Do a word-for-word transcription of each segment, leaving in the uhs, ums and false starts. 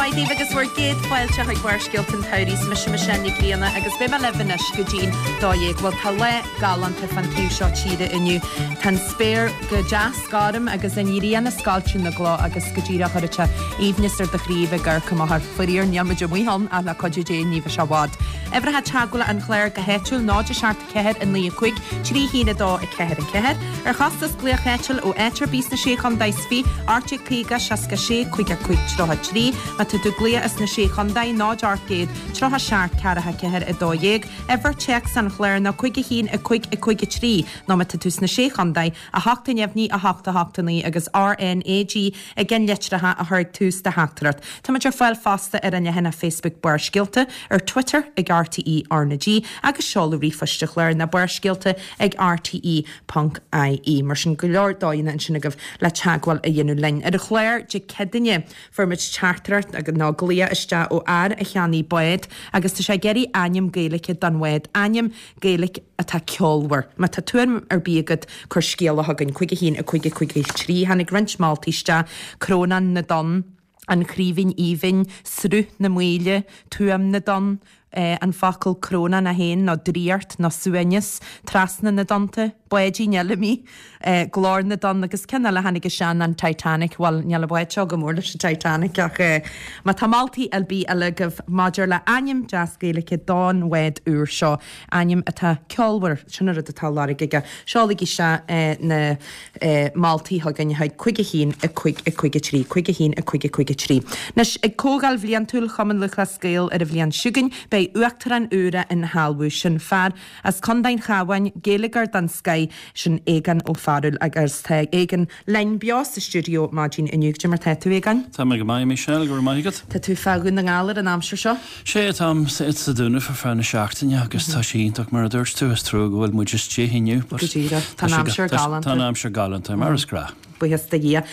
Maidin mhaith daoibh agus bhur gcéad fáilte chuig Barrscéalta an tsamhraidh. Is mise Michelle Ní Ghrianna agus beidh mé libh anois go dtí'n dó dhéag. Bhuel, tá lá galánta fan taobh seo tíre inniu. Tá an spéir go deas gorm agus an ghrian ag scoilteadh na gcloch agus go díreach chuirfeadh sé aoibhneas ar do chroí bheith ag amharc amach air. Faraor, níl muid amuigh ann ach le cuidiú Dé ní bheidh sé i bhfad. Uimhreacha teagmhála an chláir go háitiúil náid a seacht ceathair a naoi a cúig trí haon a dó a ceathair a ceathair. Ar chostas glaoch áitiúil ó áit ar bith sna Sé Chontae is Fiche, ocht déag caoga seasca sé cúig a cúig tríocha trí. Má tá tú ag glaoch as na Sé Chontae, náid ocht gcéad tríocha seacht ceathracha ceathair a dó dhéag. Uimhir téacs an chláir ná cúig a haon a cúig a cúig a trí nó má tá tú sna Sé Chontae, a hocht a neamhní a hocht a hocht a naoi agus R N A G i gceannlitreacha a chur ag tús do theachtaireacht. Táimid ar fáil fosta ar an leathanach Facebook Barrscéalta, ar Twitter ag R T E R N A G agus seoladh ríomhphoist an chláir ná barrscéalta ag R T E ponc I E. Mar sin go leor dóigheanna ansin agaibh le teagmháil a dhéanamh linn. Ar an chlár Dé Céadaoine fuair muid teachtaireacht agus nó glaoch isteach ó fhear a cheannaigh bád agus tá sé ag iarraidh ainm Gaeilge don bhád, ainm Gaeilge atá ceolmhar. Má tá tuairim ar bith agat, cuir scéala chugainn cúig a haon a cúig a cúig a trí. Tháinig roinnt moltaí isteach: Crónán na dTonn, An Chraoibhín Aoibhinn, Sruth na Maoile, Tuaim na dTonn, eh, an focal crónán é féin nó draíocht nó suaimhneas, Trasna na dTonnta, Báidín Fheilimí, eh, Glór na dTonn agus ceann eile tháinig isteach, an Titanic. Bhuel, níl an bád seo go mór leis an Titanic ach eh, má tá moltaí ar bith eile agaibh maidir le ainm deas Gaeilge don bhád úr seo, ainm atá ceolmhar, sin an rud atá á lorg aige. Seolaigí isteach eh, na eh, moltaí chugainn chuig cúig a haon a cúig a cúig a trí, cúig a haon a cúig a cúig a trí. Anois ag Comhdháil Bhliantúil Chumann Lúthchleas Gael ar an bhliain seo chugainn, beidh uachtarán úr á shealbhú, sin fear as Contae an Chabháin, Gaeilgeoir den scoth, sin Aogán Ó Fearghail agus tá Aogán linn beo sa stiúideo maidin inniu. Cad é mar tá tú, Aogáin? Tá mé go maith, Michelle, go raibh maith agat. Tá tú fá Dhún na nGall ar an aimsir seo? Sé táim sa Dún ar feadh na seachtaine agus tá sé iontach mar a dúirt tú, is trua go bhfuil muid istigh inniu. Go díreach. Tá aimsir galánta. Tá aimsir galánta mar is gnách. Buíochas do Dhia.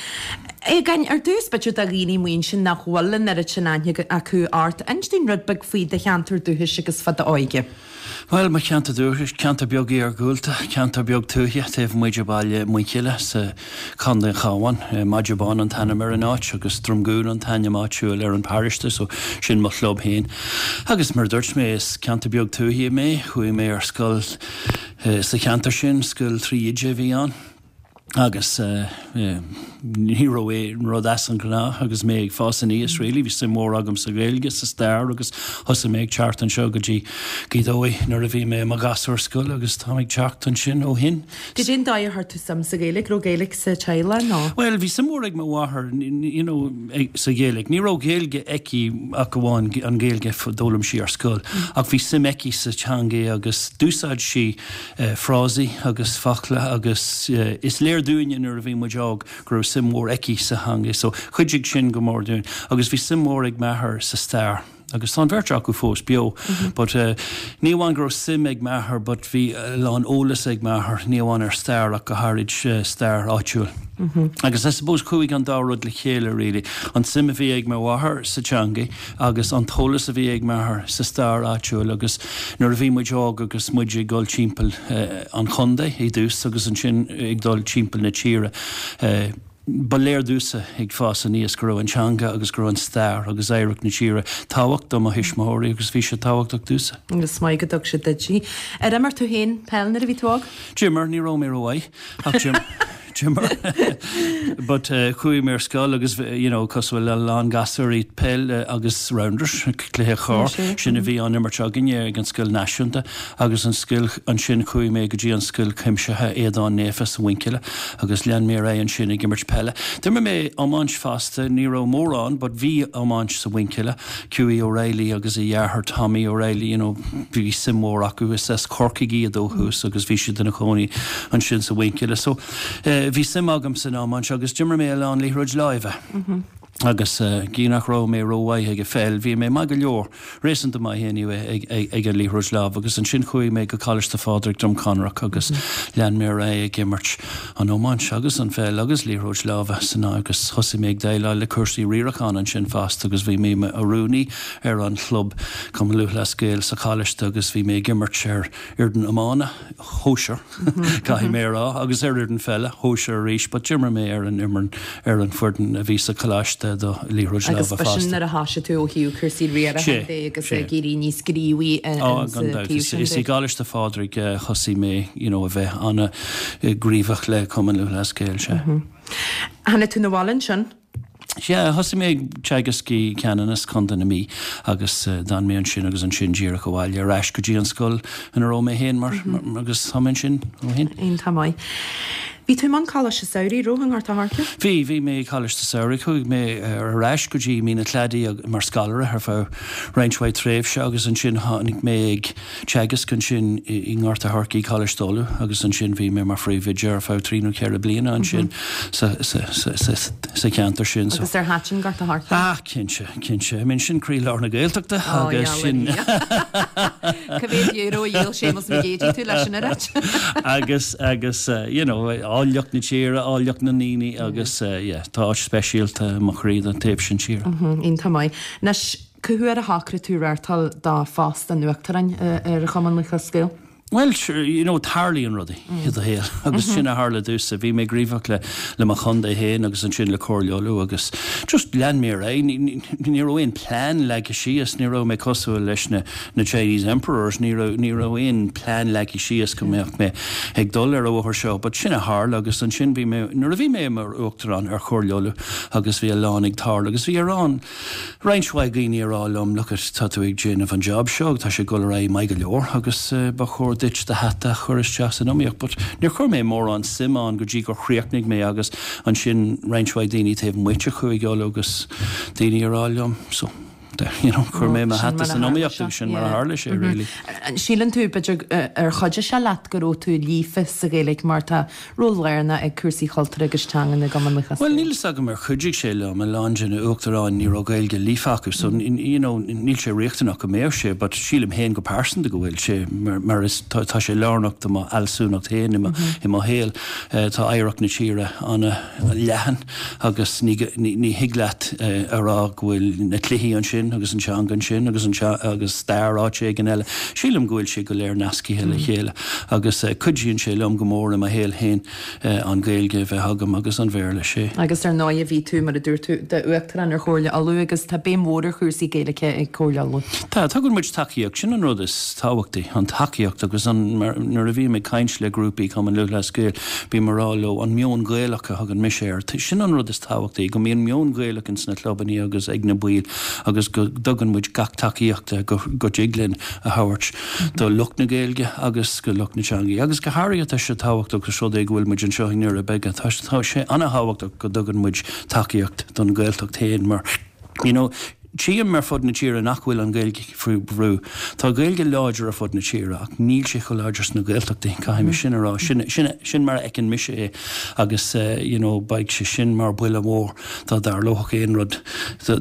Aogáin, ar dtús b'fhéidir do dhaoine amuigh ansin nach bhfuil an oiread sin aithne acu ort, inis dúinn rud beag faoi do cheantar dúchais agus fá d'óige. Well, mo cheantar dúchais, ceantar beag iargúlta, ceantar beag tuaithe taobh amuigh de bhaile Muinchille sa Chontae an Chabháin. Maide Bán an t-ainm ar an áit agus Drumgoon an t-ainm áitiúil ar an bparóiste, so sin mo chlub féin. Agus mar dúirt mé, is ceantar beag tuaithe mé, chuaigh mé ar scoil uh, sa cheantar sin, scoil trí oide a bhí ann. Agus uh, uh, ní raibh é rud as an ngnáth agus mé ag fás aníos really, bhí suim mhór agam sa Ghaeilge, sa stair agus thosaigh mé ag teacht anseo go dtí Gaoth Dobhair nuair a bhí mé i mo ghasúr scoile agus tá ag teacht ansin ó shin. Cad é an dóigh ar chuir tú suim sa Ghaeilge, raibh Gaeilge sa teaghlach nó? Well, bhí suim mhór ag mo mháthair you know, sa Ghaeilge. Ní raibh Gaeilge aici ach amháin an Ghaeilge a d'fhoghlaim sí ar scoil, ach bhí suim aici sa teanga agus d'úsáid sí uh, frásaí agus focla agus uh, is léir dúinne nuair a bhí muid óg go raibh suim mhór aici sa teanga, so chuidigh sin go mór dúinn, agus bhí suim mhór ag m'athair sa stair. Agus tá an bheirt acu fós beo, mm -hmm. but uh, ní amháin go raibh suim ag m'athair, but bhí a lán eolas ag m'athair, ní amháin ar stair ach go háirid uh, stair áitiúil. Mm -hmm. Agus I suppose chuaigh an dá rud le chéile really. An suim a bhí ag mo mháthair sa teanga agus an t-eolas a bhí ag m'athair sa stair áitiúil agus nuair a bhí muid óg agus muid ag dul timpeall uh, an chontae i dtús agus ansin ag dul timpeall na tíre. Uh, Ba léir domhsa ag fás aníos go raibh an teanga agus go raibh an stair agus oidhreacht na tíre tábhachtach do mo thuismitheoirí agus bhí sé tábhachtach domhsa. Agus maith go dtug siad duit í. Ar imir tú féin peil nuair a bhí tú óg? D'imir, ní raibh mé rómhaith ach d'imir. But uh, chuaigh mé ar scoil agus you know, cosúil le lán gasúirí, peil uh, agus rounders, cluiche corr, sin a bhí á imirt againne ag an scoil náisiúnta agus an scoil ansin chuaigh mé go dtí an scoil chuimsithe Aodán Naofa sa Mhuinchille agus lean mé ar ansin ag imirt peile. D'imir mé iomáint fosta, ní raibh mórán, but bhí iomáint sa Mhuinchille, Hughie O'Reilly agus a dheartháir Tommy O'Reilly, you know, bhí suim mhór acu, is as Corcaigh iad ó thús agus bhí siad ina gcónaí ansin sa Mhuinchille. So uh, bhí suim agam san iomáint agus d'imir mé a lán liathróid láimhe. Mm -hmm. Agus uh, gí nach raibh mé rómhaith ag an pheil, bhí mé maith go leor réasúnta maith anyway ag, ag, ag an liathróid láimhe agus ansin chuaigh mé go Coláiste Phádraig Droim Conrach agus mm -hmm. lean mé ag imirt an iomáint agus an pheil agus liathróid láimhe san agus thosaigh mé ag déileáil le cúrsaí riaracháin ansin fosta agus bhí mé mar rúnaí ar an chlub Cumann Lúthchleas Gael sa choláiste agus bhí mé ag imirt ar fhoireann iomána shóisir caithfidh mé rá agus ar fhoireann peile shóisir arís, but d'imir mé ar an imir ar an foireann a bhí sa choláiste. do liathróid láimhe Agus fásta. Agus b'shin nuair a thosaigh tú ó thaobh cúrsaí riaracháin de agus ag éirí níos gníomhaí insa taobh sin de. Is i gColáiste Phádraig a thosaigh mé you know a bheith an-ghníomhach le Cumann Lúthchleas Gael, sea. Tháinig tú 'na bhaile ansin? Sea, thosaigh mé ag teagasc i Ceanannas, Contae na Mí, agus d'fhan mé ansin agus ansin díreach abhaile ar ais go dtí an scoil ina raibh mé féin mar agus tá mé ansin ó shin. Iontach maith. Bhí tú i mbun Coláiste Samhraidh, raibh, i nGort a' Choirce? Bhí, bhí mé i Coláiste Samhraidh. Chuaigh mé ar ais go dtí Mín na Cladaí mar scoláire ar feadh roinnt mhaith tréimhse agus ansin tháinig mé ag teagasc ansin i nGort a' Choirce i Coláiste Uladh agus ansin bhí mé mar phríomhoide ar feadh trí nó ceithre bliana ansin sa sa cheantar sin. Agus ar thaitin Gort a' Choirce? Ah, cinnte, cinnte. I mean sin croílár na Gaeltachta agus sin. Cá mhéad euro a dhíol Séamus Mac Géidigh tú leis an oiread? Agus, agus, you know, áilleacht na tíre, áilleacht na ndaoine agus yeah, tá áit speisialta i mo chroí don taobh sin tíre. Iontach maith. Anois, cá huair a shocraigh tú reáchtáil do phost an Uachtaráin ar Chumann Lúthchleas Gael? Bhuel, sure, you know, tarlaíonn rudaí i do shaol agus sin a tharla domhsa. Bhí mé gníomhach le le mo chontae féin agus ansin le Comhairle Uladh agus just lean mé ar aghaidh. Ní ní raibh aon plean leagtha síos, ní raibh mé cosúil leis na na Chinese Emperors, ní raibh ní raibh aon plean leagtha síos go mbeadh mé ag dul ar an bhóthar seo, but sin a tharla agus ansin bhí mé nuair a bhí mé mar Uachtarán ar Chomhairle Uladh agus bhí a lán ag tarlú agus bhí a lán roinnt mhaith daoine ag rá liom, look it, tá tú ag déanamh an job seo, tá sé ag dul ar aghaidh maith go leor agus ba chóir duit do hata a chur isteach san iomaíocht. But níor chuir mé mórán suim ann go dtí gur chríochnaigh mé agus ansin roinnt mhaith daoine taobh amuigh de Chúige Uladh agus daoine ag rá liom so you know, chuir mé mo hata san iomaíocht agus sin mar a tharla sé really. An síleann tú b'fhéidir ar chuidigh sé leat go raibh tú líofa sa Ghaeilge mar tá ról lárnach ag cúrsaí cultúir agus teangan i gCumann Lúthchleas Well níl fhios agam ar chuidigh sé liom, a lán de na uachtaráin ní raibh Gaeilge líofa acu so you know níl sé riachtanach go mbeadh sé but sílim féin go pearsanta go bhfuil sé mar mar is tá tá sé lárnach do mo fhealsúnacht féin i mo i mo shaol. Tá oidhreacht na tíre an-leathan agus ní ní ní thig leat a rá go bhfuil na cluichí ansin agus an teanga ansin agus an agus stair áit éigin eile. Sílim go bhfuil sé go léir nascaithe le chéile agus cuidíonn sé liom go mór i mo shaol féin an Ghaeilge a bheith agam agus an Bhéarla, sea. Agus ar ndóigh bhí tú, mar a dúirt tú, d'Uachtarán ar Chomhairle Uladh agus tá béim mhór ar chúrsaí Gaeilge ag Comhairle Uladh. Tá, tugann muid tacaíocht, sin an rud is tábhachtaí, an tacaíocht agus an, mar nuair a bhím ag caint le grúpaí Cumann Lúthchleas Gael, bím ag rá leo an meon Gaelach a thugann mise air, sin an rud is tábhachtaí, go mbíonn meon Gaelach ins na clubanna agus ag na baill agus go dtugann muid gach tacaíocht go dtig linn a thabhairt do lucht na Gaeilge agus go lucht na teangaí. Agus go háirithe tá sé tábhachtach ós rud é go bhfuil muid anseo i nDoirí Beaga, tá sé an-thábhachtach go dtugann muid tacaíocht don Ghaeltacht féin mar you know tchím ar fud na tíre nach bhfuil an Ghaeilge faoi bhrú. Tá Gaeilge láidir ar fud na tíre ach níl sé chomh láidir sna Gaeltachtaí, caithfidh mé sin a rá. Sin, sin, sin mar a fheiceann mise é agus you know beidh sé sin mar buille mhór dá dtarlódh aon rud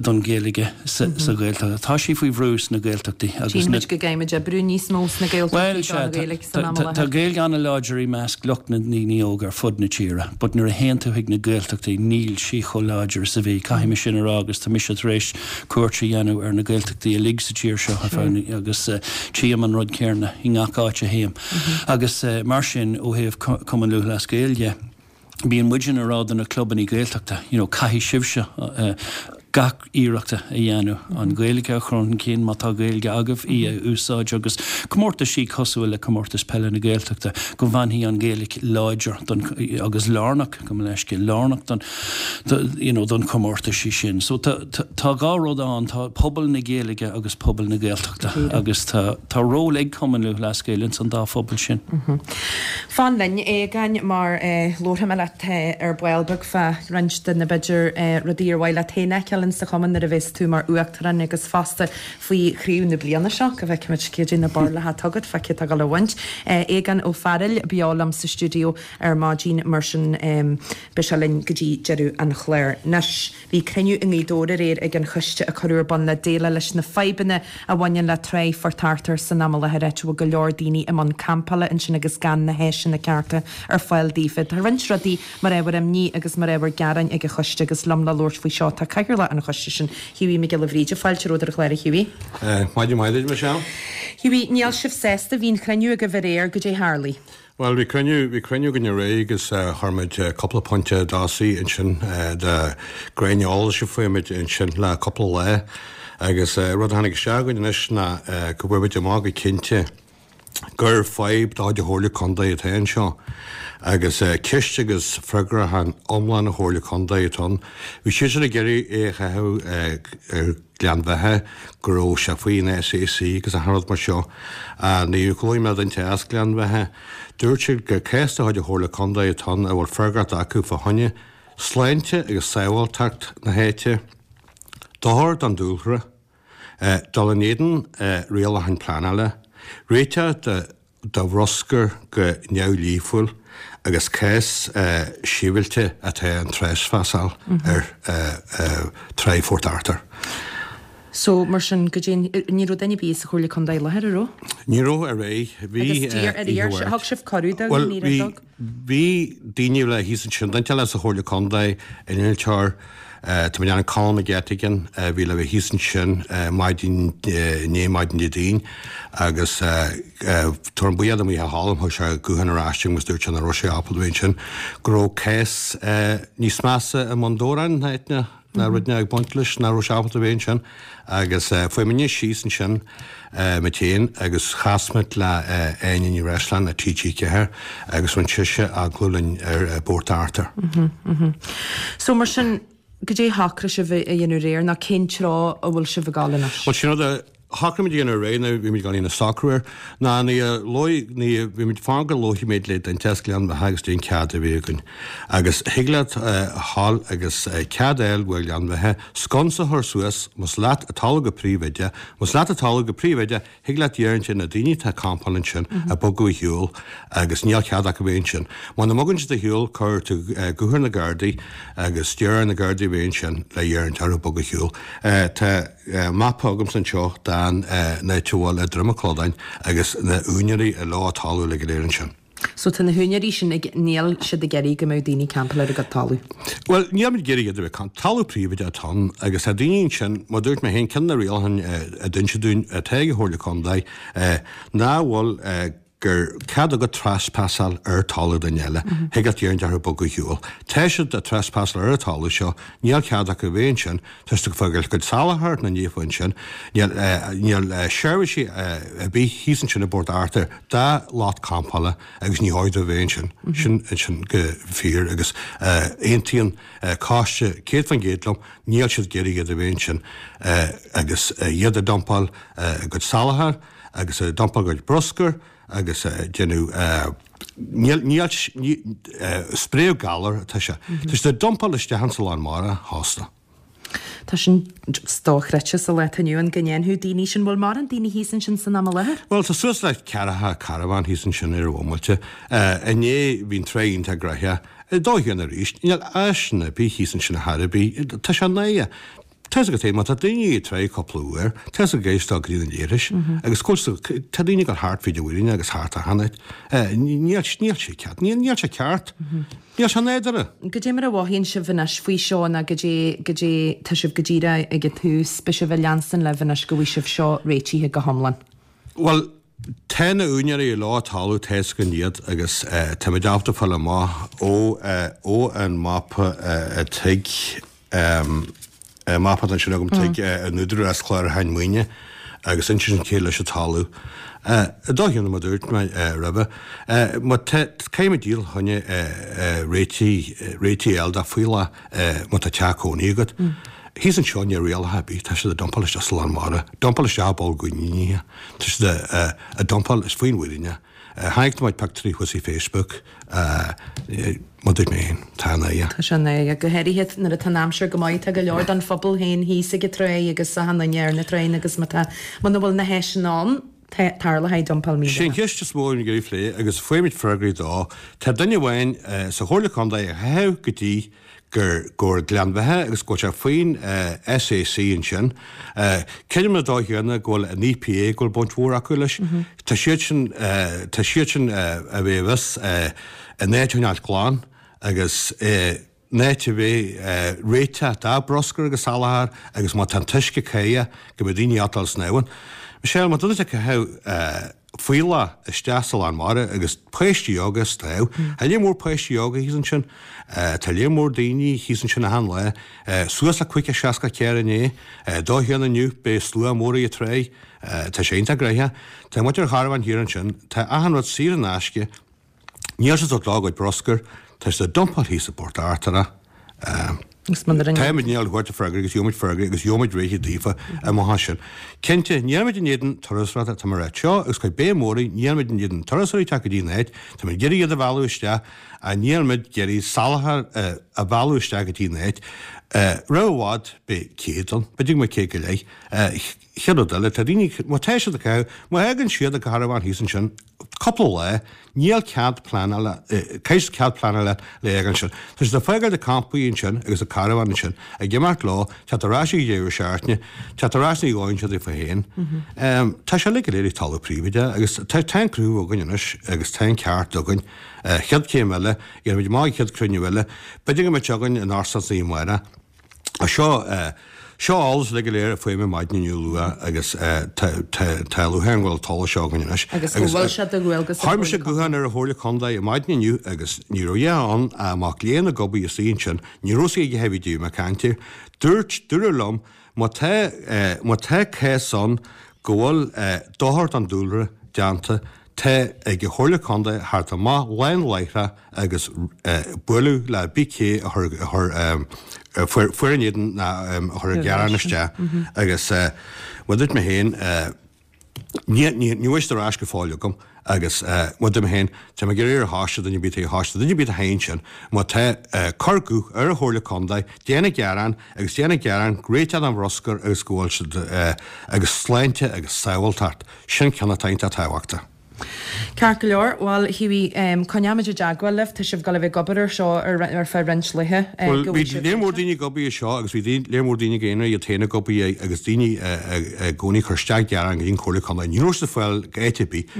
don Ghaeilge sa Ghaeltacht. Tá sí faoi bhrú sna Gaeltachtaí agus na. Tchíonn muid go gcaithfimid oibriú níos mó sna Gaeltachtaí don Ghaeilge san am i láthair. Tá Gaeilge an-láidir i measc lucht na ndaoine óga ar fud na tíre but nuair a théann tú chuig na Gaeltachtaí níl sí chomh láidir is a bhí. Caithfidh mé sin a rá agus tá mise tar éis cuairt a dhéanamh ar na Gaeltachtaí uilig sa tír seo ar feadh agus tchím an rud céanna i ngach áit a théim. Agus mar sin ó thaobh Cumann Lúthchleas Gael de, bíonn muidne ag rá do na clubanna Gaeltachta, you know, caithfidh sibhse gach iarracht a dhéanamh an Ghaeilge a chur chun cinn má tá Gaeilge agaibh, í a úsáid agus comórtaisí cosúil le Comórtas Peile na Gaeltachta go bhfanfaidh an Ghaeilge láidir don agus lárnach, gabh mo leithscéal, lárnach don you know, don chomórtaisí sin. So tá tá dhá rud ann, tá pobal na Gaeilge agus pobal na Gaeltachta agus tá tá ról ag Cumann Lúthchleas Gael ins an dá phobal sin. Fan linn, a Aogáin, mar labharfaidh mé leat ar ball beag fá roinnt de na b'fhéidir rudaí ar mhaith leat féin a fheiceáil insa chumann nuair a bheas tú mar Uachtarán agus fosta faoi chraobh na bliana seo, go bhfeicfimid cad é na barúlacha atá agat fá cé atá ag dul a bhaint. Aogán Ó Fearghail beo liom sa stiúideo ar maidin, mar sin beidh sé linn go dtí deireadh an chláir. Anois, bhí cruinniú i nGaoth Dobhair aréir ag an choiste a cuireadh ar bun le déileáil leis na fadhbanna a bhaineann le Tráigh Phort Arthur san am i láthair, áit a bhfuil go leor daoine i mbun campála ansin agus gan na háiseanna cearta ar fáil daofa. Tá roinnt rudaí mar ábhar imní agus mar ábhar gearáin ag an choiste agus liom le labhairt faoi seo tá Cathaoirleach an choiste sin, Hughie Mac Giolla Bhríde. Fáilte romhat ar an chlár, a Hughie. Maidin mhaith duit, Michelle. Hughie, níl sibh sásta, bhí an chruinniú agaibh aréir, goidé tharlaigh? Bhuel, bhí cruinniú, bhí cruinniú againn aréir agus chuir muid cúpla pointe i dtosaigh ansin de ghreim eolais a fuair muid ansin le cúpla lá agus rud a tháinig isteach againn anois ná go bhfuair muid amach go cinnte gur fadhb de chuid an Chomhairle Contae atá anseo agus ceist agus freagracht iomlán an Chomhairle Contae atá ann. Bhí siadsan ag iarraidh é a chaitheamh ar Ghleann Bheatha, go raibh sé faoin SAC agus achan rud mar seo. Nuair a labhair mé le duine as Gleann Bheatha, dúirt siad gur cás de chuid an Chomhairle Contae atá ann a bhfuil freagracht acu fá choinne sláinte agus sábháilteacht na háite, dochar don dúlra, dul in éadan rialacháin pleanála, réiteach de do bhruscar go neamhdhlíthiúil agus cás sibhialta atá an treasphasáil ar Trá Phort Arthur. So, mar sin, go dtí, ní raibh duine ar bith sa Chomhairle Contae i láthair, an raibh? Ní raibh aréir. Bhí Agus d'iarr, ar iarr, thug sibh cuireadh dóibh, Bhuel, ní bhí, raibh dóibh? bhí daoine le thíos ansin, duine eile sa Chomhairle Contae, innealtóir, Tá mé ag déanamh Colm McGettigan a bhí le bheith thíos ansin maidin inné, maidin Dé Daoin, agus táim buíoch do Mhícheál Choilm, thug sé guthán ar ais agus dúirt sé nach raibh sé ábalta a bheith ansin, go raibh cás níos measa i mBun Dobhráin ná eitne ná rud ag baint leis, nach raibh sé ábalta a bheith ansin. Agus fuair muidne síos ansin muid féin agus chas muid le Áine Ní Bhreisleáin le TG Ceathair agus rinne sise agallamh linn ar Bport Arthur. So mar sin, goidé shocraigh sibh a dhéanamh aréir nó cén treo a bhfuil sibh ag dul anois? Bhuel, sin rud a shocraigh muid a dhéanamh aréir nó bhí muid ag dul a socrú air ná ní a luaigh, ní a, bhí muid fán go labharfaidh muid le duine as Gleann Bheatha agus goidé an cead a bhí againn. Agus thig leat a ghabháil agus cead a fháil uaidh Ghleann Bheatha sconsa a chur suas más leat an talamh go príobháideach, más leat an talamh go príobháideach, Thig leat iarraidh ar na daoine atá ag campáil ansin a bogadh ar shiúl agus níl cead acu bheith ansin. Muna mbogann siad ar shiúl cuirfidh tú guth ar na Gardaí agus iarr ar na Gardaí a bheith ansin le iarraidh orthu bogadh ar shiúl. Tá mapa agamsa anseo den áit a bhfuil Droim an Chlodáin agus na úinéirí a leo an talamh uilig go léir ansin. So tá na húinéirí sin ag, níl siad ag iarraidh go mbeadh daoine ag campáil ar a gcuid talamh? Bhuel, níl muid ag iarraidh iad a bheith ag campáil. Talamh príobháideach atá ann agus tá daoine ansin, mar dúirt mé féin, ceann de na rialacháin a d'inseadh dúinn atá ag an Chomhairle Contae ná bhfuil gur cead agat trespassáil ar talamh duine eile, thig leat iarraidh orthu bogadh ar shiúl. Tá siad ag trespassáil ar an talamh seo, níl cead acu a bheith ansin, tá siad ag fágáil a gcuid salachar na naofa ansin, níl níl seirbhísí ar bith thíos ansin i bPort Arthur do lucht campála agus ní chóir dóibh a bheith ansin. Sin sin go fíor agus aontaíonn coiste céad faoin gcéad liom, níl siad ag iarraidh iad a bheith ansin agus iad ag dumpáil a gcuid salachar agus ag dumpáil a gcuid bruscair agus ag déanamh níl níl spréadh galar atá sé. Tá siad ag dumpáil isteach insa lán mara fosta. Tá sin dochreidte sa lá atá inniu ann go ndéanfadh daoine sin. Bhfuil mórán daoine thíos ansin san am i láthair? Bhuel, tá suas le ceathracha carbhán thíos ansin ar an bhomaite. Inné bhí an trá iontach gnoitheach. Ar dóigh chéanna arís, níl áiseanna ar bith thíos ansin ar chor ar bith. Tá sé náireach. Tá 'fhios agat féin, má tá daoine ag tráigh cúpla uair, tá 'fhios agat ag dul go dtí na leithris agus go bhfuil, tá daoine ag dul thart fríd an mhuiríne agus thart achan áit. Níl, níl sé ceart, níl, níl sé ceart. Níl sé nádúrtha. Goidé mar a mhothaíonn sibh anois faoi seo nó goidé, goidé, tá sibh go díreach ag an tús, beidh sibh ag leanstan libh anois go bhfaighidh sibh seo réitithe go hiomlán? Bhuel, tá na úinéirí leo an talamh, tá 'fhios againn iad agus táimid ábalta fáil amach ó, ó an mapa a tigh, mapa atá ansin agam tigh an Údarás Clárúcháin Maoine agus insíonn cé leis an talamh. I dóigh chéanna mar a dúirt mé roimhe, má tá, caithfidh muid díol choinne réitigh, réitigh a fháil do fuíollach má tá teach cónaí agat. Thíos anseo níl rialacha ar bith, tá siad ag dumpáil isteach sa lán mara, dumpáil isteach i bpoll gcoiníní, tá siad ag dumpáil is faoin bhfírinne. Chonaic muid pictiúirí thuas ar Facebook, mar dúirt mé féin, tá an oidhe. Tá sé an oidhe, go háirithe nuair atá an aimsir go maith, tá go leor den phobal féin thíos ag an tráigh agus achan duine ar na tráigheanna agus má tá, muna bhfuil na háiseanna ann, tarlóidh dumpáil Sé an míleata. cheist is mó a bhí ag iarraidh phlé agus fuair muid freagraí dó, tá duine amháin sa Chomhairle Contae a chaitheamh go dtí gur gur Gleann Bheatha agus go bhfuil sé faoin SAC ansin. Creidim ar an dóigh chéanna go bhfuil an EPA go bhfuil baint mhór acu leis. Tá siad sin tá siad sin a bheith i bhfios an áit a choinneáilt glan agus an áit a bheith réiteach dá bruscar agus salachar agus má tá an t-uisce cáidheach go mbeidh daoine ábalta dul snámh ann. Michelle, má tá duine ag caitheamh Fuíollach isteach sa lán mara agus páistí óga ag snámh. Tá léar mór páistí óga thíos ansin. Tá léar mór daoine thíos ansin achan lá. Suas le caoga seasca carr inné. Dó haon inniu beidh slua mór ag an tráigh. Tá sé iontach gnoitheach. Tá muintir an charbháin thiar ansin. Tá achan rud saor in aisce. Níl siad ag dul a gcuid bruscair. Tá siad á dumpáil thíos i bPort Artúr. Táimid i ndiaidh a thabhairt freagra agus gheobhaimid freagra agus gheobhaimid réiteach daofa amach ansin. Cinnte, nílimid in éadan turasóireachta, tá mé ag ráit seo agus cuid béim mhór air, nílimid in éadan turasóirí teacht go dtí an áit, táimid ag iarraidh iad a mhealladh isteach ach nílimid ag iarraidh salachar a mhealladh isteach go dtí an áit. Roimh i bhfad beidh céad ann, b'fhéidir go mbeidh céad go leith. Chéad rud eile, tá daoine, má tá siad ag caitheamh, má thagann siad ag carbhán thíos ansin, cúpla lá, níl cead pleanála, caithfidh cead pleanála le fháil ansin. Tá siad ag fágáil na campaí ansin agus an carbhán ansin, ag imeacht leo, teacht ar ais ag deireadh seachtaine, teacht ar ais ní dhóigh siad daofa féin. Tá sé uilig go léir ag talamh príobháideach agus tá tá an cruthú againn anois agus tá an ceart againn. Chéad chéim eile, dhéanfaimid amach an chéad cruinniú eile, b'fhéidir go mbeidh sé againn in Óstán Naomh Máire. Seo seo eolas uilig go léir a fuair mé maidin inniu luath agus tá tá lúcháir orm go bhfuil an t-eolas seo againn anois. Agus go bhfuil sé de dhualgas ar Chuir mise guthán ar an Chomhairle Contae maidin inniu agus ní raibh a dhath ann ach mac léinn ag obair istigh ansin, ní raibh a fhios aige cé bhí díobh mé ag caint air. Dúirt, dúradh liom má tá má tá cás ann go bhfuil dochar don dúlra déanta, Tá ag an Chomhairle Contae theacht amach lán láithreach agus bualadh le cibé a chuir a chuir fuair fuair in éadan ná a chuir an gearán isteach agus mar a dúirt mé féin ní ní ní bhfuil siad ar ais go fóill agam agus mar a dúirt mé féin tá mé ag iarraidh ar choiste duine ar bith ar choiste duine ar bith a théann sin má tá cuir guth ar an Chomhairle Contae déan an gearán agus déan an gearán réiteach an bhruscair agus go bhfuil siad agus sláinte agus sábháilteacht sin ceann atá iontach tábhachtach. Ceart go leor, bhuel, a Hughie, coinneoimid i dteagmháil libh, tá sibh ag dul a bheith ag obair ar seo ar feadh roinnt laethe Bhuel, go bhí bhfuil sibh léar mór daoine ag obair ar seo agus bhí léar mór daoine ag aonar iad féin ag obair air agus daoine i gcónaí ag cur isteach gearán go dtí an Chomhairle Contae. Ní raibh siad ag fáil áit ar bith.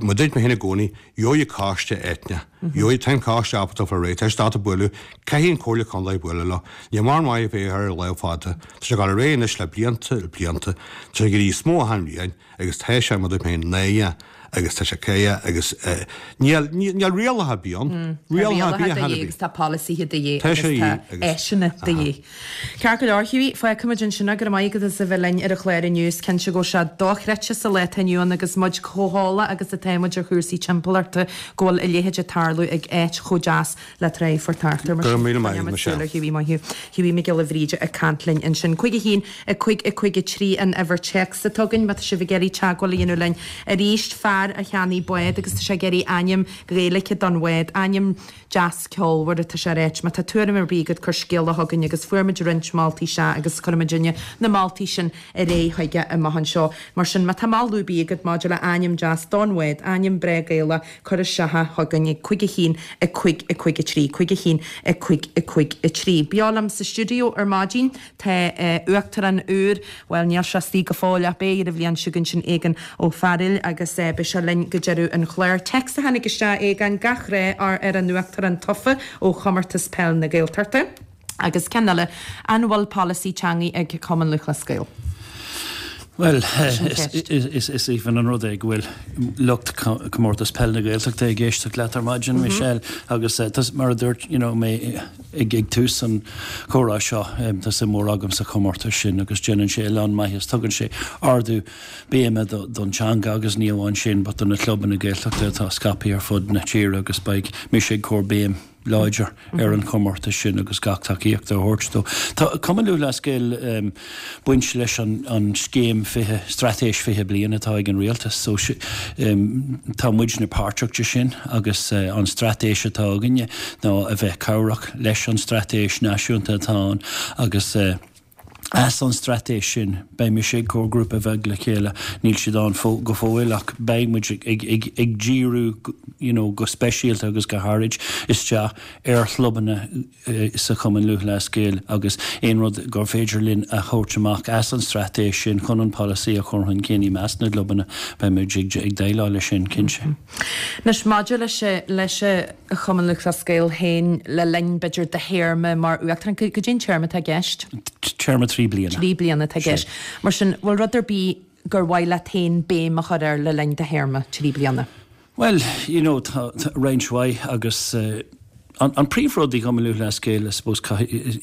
Mar a dúirt mé féin i gcónaí, gheobhaidh coiste eitneach, gheobhaidh, tá an coiste ábalta fáil réidh, tá siad ábalta bualadh, caithfidh an Chomhairle Contae bualadh leo. Ní mar maith a bheith ar lámh fada. Tá sé ag dul ar aghaidh anois le blianta, le blianta. Tá sé ag éirí níos mó achan bhliain agus tá sé, mar a dúirt mé féin, náireach agus tá sé caoch agus níl níl rialacha ar bith ann. Tá rialacha de dhíth agus tá polasaithe de dhíth agus tá áiseanna de dhíth. Ceart go leor, Hughie, fágfaimid ansin é. Go raibh maith agat as a bheith linn ar an chlár inniu. Is cinnte go bhfuil sé dochreidte sa lá atá inniu ann agus muid chomh heolach agus atá muid ar chúrsaí timpeallachta go bhfuil a leithéid ag tarlú ag áit chomh deas le Tráigh Phort Artúir. Mar Go sin, raibh míle maith agat, coinneoimid Michelle. súil ar Hughie. Maith thú. Hughie Mac Giolla Bhríde ag caint linn ansin. Cúig a haon, a cúig, a cúig a trí an uimhir téacs atá againn má tá sibh ag iarraidh teagmháil a dhéanamh linn arís. Fear a cheannaigh bád agus tá sé ag iarraidh ainm Gaeilge don bhád, ainm deas ceolmhar atá sé a ráit. Má tá tuairim ar bith agat cuir scéala chugainn agus fuair muid roinnt moltaí sea agus cuirfimid na moltaí sin ar aghaidh chuige amach anseo. Mar sin má tá moladh ar bith agat maidir le ainm deas don bhád, ainm breá Gaelach, cuir isteach é chugainn ag cúig a haon, a cúig, a cúig a trí, cúig a haon, a cúig, a cúig a trí. Beo liom sa stiúideo ar maidin tá Uachtarán úr, bhuel níl sé istigh go fóill ach beidh ar an bhliain seo chugainn, sin Aogán Ó Fearghail agus beidh sé linn go deireadh an chláir. Téacs a tháinig isteach, Aogán, gach rath ar an Uachtarán tofa ó Chomórtas Peil na Gaeltachta. Agus ceann eile, an bhfuil polasaí teangaidh ag Cumann Lúthchleas Gael? Bhuel, Sin ceist. is aoibhinn an rud é go bhfuil lucht Comórtas Peil na Gaeltachta ag éisteacht leat ar maidin, Michelle, agus mar a dúirt you know mé ag ag tús an chomhrá seo, tá suim mhór agam sa chomórtas sin agus déanann sé a lán maitheas, tugann sé ardú béime don teanga agus ní amháin sin but do na clubanna Gaeltachta atá scaipthe ar fud na tíre agus beidh mise ag cur béim láidir ar an chomórtas sin agus gach tacaíocht a thabhairt dó. Tá Cumann Lúthchleas Gael baint leis an scéim fiche, straitéis fiche bliain atá ag an rialtas so tá muidne páirteach de sin agus an straitéis atá againne ná a bheith cabhrach leis an straitéis náisiúnta atá ann agus as an straitéis sin beidh mise ag cur grúpa bheag le chéile, níl siad ann go fóill ach beidh muid ag ag ag díriú you know go speisialta agus go háirid isteach ar chlubanna sa Chumann Lúthchleas Gael agus aon rud gur féidir linn a thabhairt amach as an straitéis sin chun an polasaí a chur chun cinn i measc na gclubanna beidh muid ag ag déileáil leis sin cinnte. Anois maidir leis leis an Chumann Lúthchleas Gael féin le linn b'fhéidir do théarma mar Uachtarán, cad é an téarma atá i gceist? Téarma trí bliana. Trí bliana atá i gceist. Mar sin, bhfuil rud ar bith gur mhaith leat féin béim a chur air le linn do théarma trí bliana? Well, you know, tá roinnt mhaith agus uh, an, an príomhrud i gCumann Lúthchleas Gael, I suppose,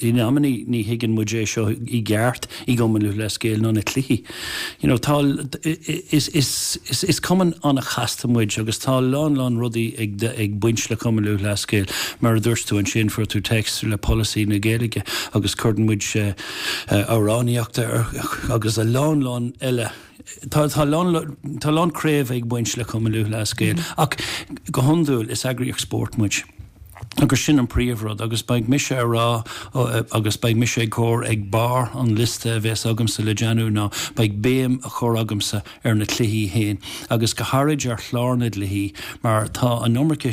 in amannaí ní thuigeann muid é seo i gceart i gCumann Lúthchleas Gael ná na cluichí. You know, tá is, is, is, is cumann an-chasta muid agus tá lán lán rudaí ag, ag baint le Cumann Lúthchleas Gael mar a dúirt tú ansin fuair tú text le polasaí na Gaeilge agus cuireann muid uh, uh, amhránaíocht agus a lán lán eile Tá tá lán tá lán craobh ag baint le Cumann Lúthchleas Gael mm -hmm. ach go hiondúil is eagraíocht spóirt muid. Agus sin an príomhrud agus beidh mise a rá agus beidh mise ag cur ag barr an liosta a bheas agamsa le déanamh ná beidh béim á chur agamsa ar na cluichí féin agus go háirid ar chlár na gcluichí mar tá an iomarca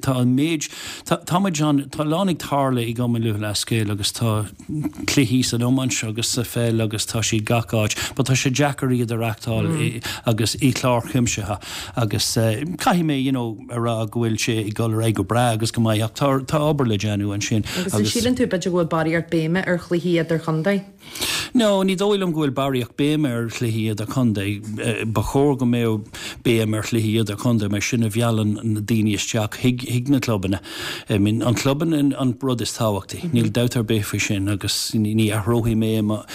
tá an méid tá muid an tá lán ag tarlú i gCumann Lúthchleas Gael agus tá cluichí san iomáint agus sa pheil agus tá siad gach áit, but tá sé deacair iad a reáchtáil mm. agus i clár cuimsithe agus uh, caithfidh mé you know, a rá go bhfuil sé ag dul ar aghaidh go breá agus go maith ach tá tá obair le déanamh ansin. Agus an síleann tú b'fhéidir go bhfuil barraíocht béime ar chluichí idirchontae? No, ní dóigh liom go bhfuil barraíocht béime ar chluichí idirchontae. Ba chóir go mbeadh béim ar chluichí idirchontae mar sin a mheallann na daoine isteach chuig chuig na clubanna. I mean, an clubanna an rud is tábhachtaí. Mm -hmm. Níl dabht ar bith faoi sin agus ní athróidh mé mo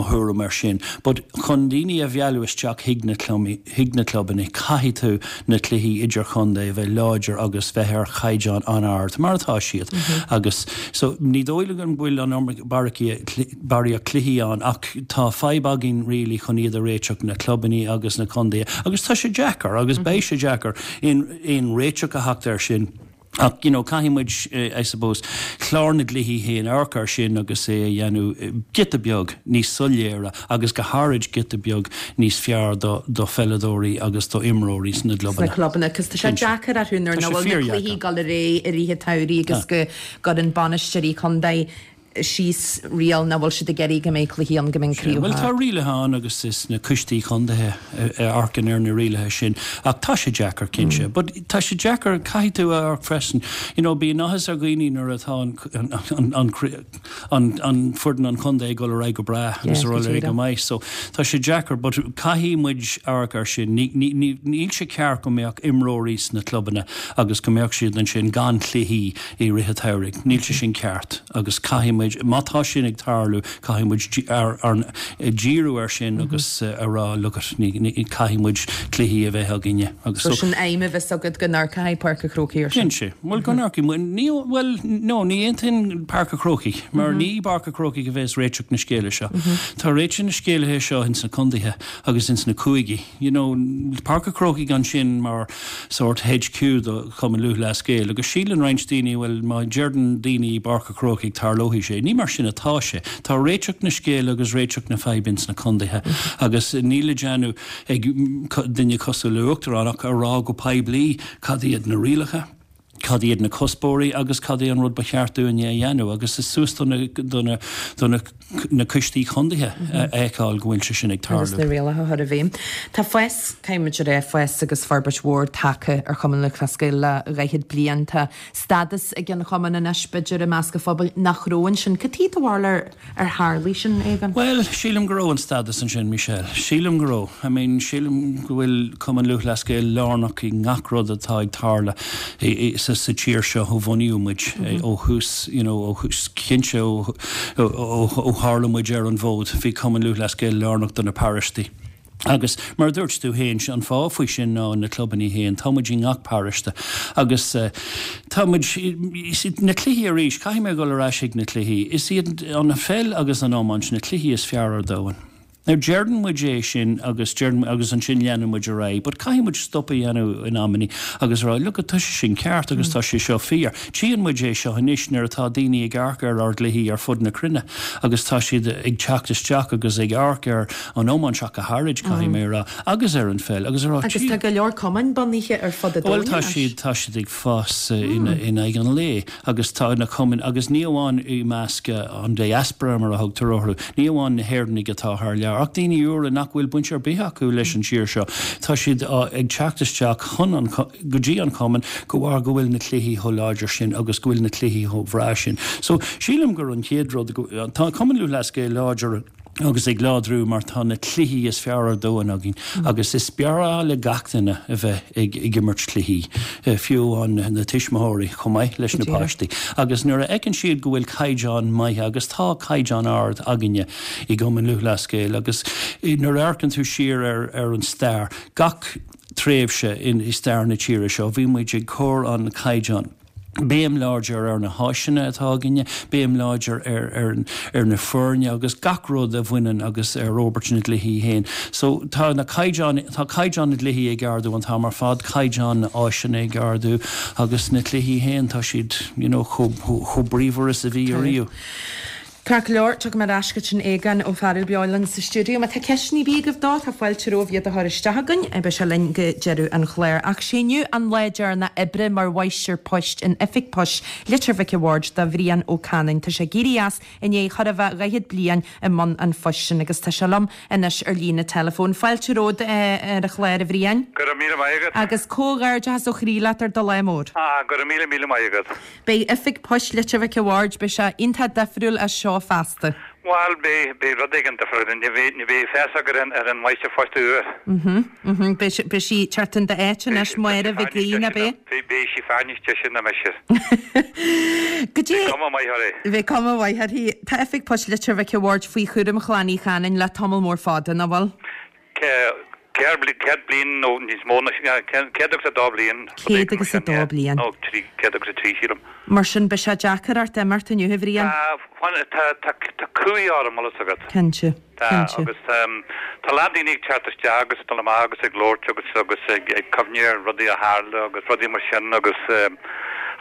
thuairim ar sin. But chun daoine a mhealladh isteach chuig na chuig na clubanna caithfidh tú na cluichí idirchontae a bheith láidir agus bheith ar chaighdeán an-ard mar atá siad. Mm -hmm. agus so ní dóigh liom go bhfuil an barraíocht cluichí ann ach tá fadhb againn really chun iad a réiteach na clubanna agus na contaetha agus tá sé deacair agus mm -hmm. beidh sé deacair in aon réiteach a theacht air sin. Ach you know, caithfidh muid uh, I suppose clár na gcluichí féin amharc air sin agus é a dhéanamh giota beag níos soiléire agus go háirid giota beag níos fearr do, do pheileadóirí agus do imreoirí sna clubanna. Sna clubanna, cos tá sé deacair orthu nuair nach bhfuil na cluichí ag dul ar aghaidh i rith an tsamhraidh agus go gcuireann bainisteoirí contae síos riail nach bhfuil siad ag iarraidh go mbeidh cluichí ann go mbeidh craobh Well tá rialacha ann agus is na coistí contaetha a amharcann ar na rialacha sin ach tá sé deacair cinnte, mm. but tá sé deacair caithfidh tú a amharc freisin. You know, bíonn áthas ar dhaoine nuair atá an, an, an, an, an foireann an chontae ag dul ar aghaidh go breá agus ar aghaidh go maith. So tá sé deacair, but caithfidh muid amharc air sin. Níl sé ceart go mbeadh imreoirí sna clubanna agus go mbeadh siad ansin gan cluichí i rith an tsamhraidh. Níl sé sin ceart agus caithfidh muid má tá sin ag tarlú caithfidh muid ar, ar, díriú ar sin mm -hmm. agus uh, a rá look caithfidh muid cluichí a bheith againne agus so, sin aidhm a bheas agat go n-amharcfaidh Páirc an Chrócaigh ar sin. Cinnte Well go n-amharcfaidh ní well no ní aontaím Páirc an Chrócaigh mar mm -hmm. ní Páirc an Chrócaigh a bheas réiteach na scéala seo. Mm -hmm. Tá réiteach na scéala seo ins na contaetha agus ins na cúigí. You know, Páirc an Chrócaigh ansin mar sort HQ do Chumann Lúthchleas Gael agus síleann roinnt daoine well má deireann daoine Páirc an Chrócaigh tarlóidh sé. Ní mar sin atá sé. Tá réiteach na scéala agus réiteach na faidhbe ins na contaetha agus níl le déanamh ag duine cosúil le uachtarán ach a rá go poiblí cad iad na rialacha. Cad iad na cuspóirí agus cad é an rud ba cheart dúinne a dhéanamh agus is suas do na do na do na na coistí contaetha a fheiceáil go bhfuil sé sin ag tarlú. Agus na rialacha a chur i bhfeidhm. Tá fás, caithfimid a rá, fás agus forbairt mhór tagtha ar Chumann Lúthchleas Gael le dhaichead bliain. Tá stádas ag an chumann anois, b'fhéidir, i measc an phobail nach raibh ansin. Cad é do bharúil ar ar tharlaigh sin, Aodhán? Bhuel, sílim go raibh an stádas ansin, Michelle. Sílim go raibh. I mean, sílim go bhfuil Cumann Lúthchleas Gael lárnach i ngach rud atá ag tarlú sa sa tír seo ó bhunaíodh muid ó thús, you know, ó thús cinnte ó ó ó tharla muid ar an bhfód, bhí Cumann Lúthchleas Gael lárnach do na paróistí. Agus mar a dúirt tú féin, an fáth faoi sin ná na clubanna féin, tá muid i ngach paróiste agus tá muid, na cluichí arís, caithfidh mé a dhul ar ais ag na cluichí, is iad an pheil agus an iomáint na cluichí is fearr ar domhan. Now deireann muid é sin agus deireann agus ansin leanann muid ar aghaidh, but caithfidh muid stop a dhéanamh in amannaí agus rá look tá sé sin ceart agus tá sé seo fíor. Tchíonn muid é seo anois nuair atá daoine ag amharc ar ár gcluichí ar fud na cruinne agus tá siad ag teacht isteach agus ag amharc ar an iomáint ach go háirid caithfidh mé a rá agus ar an pheil agus a rá Agus tá go leor cumainn bunaithe ar fud an domhain Bhuel tá siad tá siad ag fás in in aghaidh an lae agus tá na cumainn agus ní amháin i measc an diaspora mar a thugtar orthu, ní amháin na hÉireannaigh atá thar lear. Ach daoine úra nach bhfuil baint ar bith acu leis an tír seo, tá siad ag teacht isteach chun an, go dtí an cumann de bharr go bhfuil na cluichí chomh láidir sin agus go bhfuil na cluichí chomh bhreá sin. So sílim gur an chéad rud, tá Cumann Lúthchleas Gael láidir agus ag láidriú mar tá na cluichí is fearr ar domhan againn agus is breá le gach duine a bheith ag, ag imirt cluichí fiú an na tuismitheoirí chomh maith leis na páistí. Agus nuair a fheiceann siad go bhfuil caighdeán maith agus tá caighdeán ard againne i gCumann Lúthchleas Gael agus nuair a amharcann tú siar ar, ar an stair gach tréimhse in i stair na tíre seo bhí muid ag cur an caighdeán. Béim láidir ar na háiseanna atá againne, béim láidir ar, ar, ar na foirne agus gach rud a bhaineann agus ar fhorbairt na gcluichí féin. So tá na caighdeán tá caighdeán na gcluichí ag ardú an t-am ar fad, caighdeán na háiseanna ag ardú agus na cluichí féin tá siad you know, chomh chomh bríomhar is a bhí ariamh. Ceart go leor, tiocfaidh mé ar ais chuig an Aogán Ó Fearghail beo linn sa stiúideo. Má tá ceisteanna ar bith agaibh dó, tá fáilte romhaibh iad a chur isteach againn. Beidh sé linn go deireadh an chláir. Ach sé inniu an lá deireanach oibre mar mháistir poist in Oifig Poist Leitir Mhic a' Bhaird do Bhrian Ó Canainn. Tá sé ag éirí as i ndiaidh chóir a bheith dhaichead bliain i mbun an phoist sin agus tá sé liom anois ar líne teileafóin. Fáilte romhat ar an chlár, a Bhriain. Go raibh míle maith agat. Agus comhghairdeachas ó chroí leat ar do lá mór. Ah, go raibh míle míle maith agat. Beidh Oifig Poist Leitir Mhic a' Bhaird, beidh sé iontach difriúil as seo feasta. Bhuel, beidh, beidh rud éigin difriúil, ní bheidh, ní bheidh fios agat ar an, ar an mháistir phoist úr. Mhm, mhm, beidh sí, beidh sí teacht in d'áit anois, Máire Mhic Aoidh, ab é? Beidh, beidh sí fear níos deise ná mise. Goidé. Beidh cuma mhaith uirthi. Beidh cuma mhaith uirthi. Tá Oifig Poist Leitir Mhic a' Bhaird faoi chúram Chlann Uí Chanainn le tamall mór fada, nach bhfuil? Céad bliain nó níos mó ná céad agus a dó bliain. Céad agus a dó bliain. Nó trí, céad agus a trí, sílim. Mar sin, beidh sé deacair ort imeacht inniu, a Bhriain. Tá, tá, tá cumhaidh orm, bhfuil fhios agat. Cinnte, cinnte. Agus tá a lán daoine ag teacht isteach agus ag dul amach agus ag labhairt agus agus ag ag cuimhneamh ar rudaí a tharla agus rudaí mar sin agus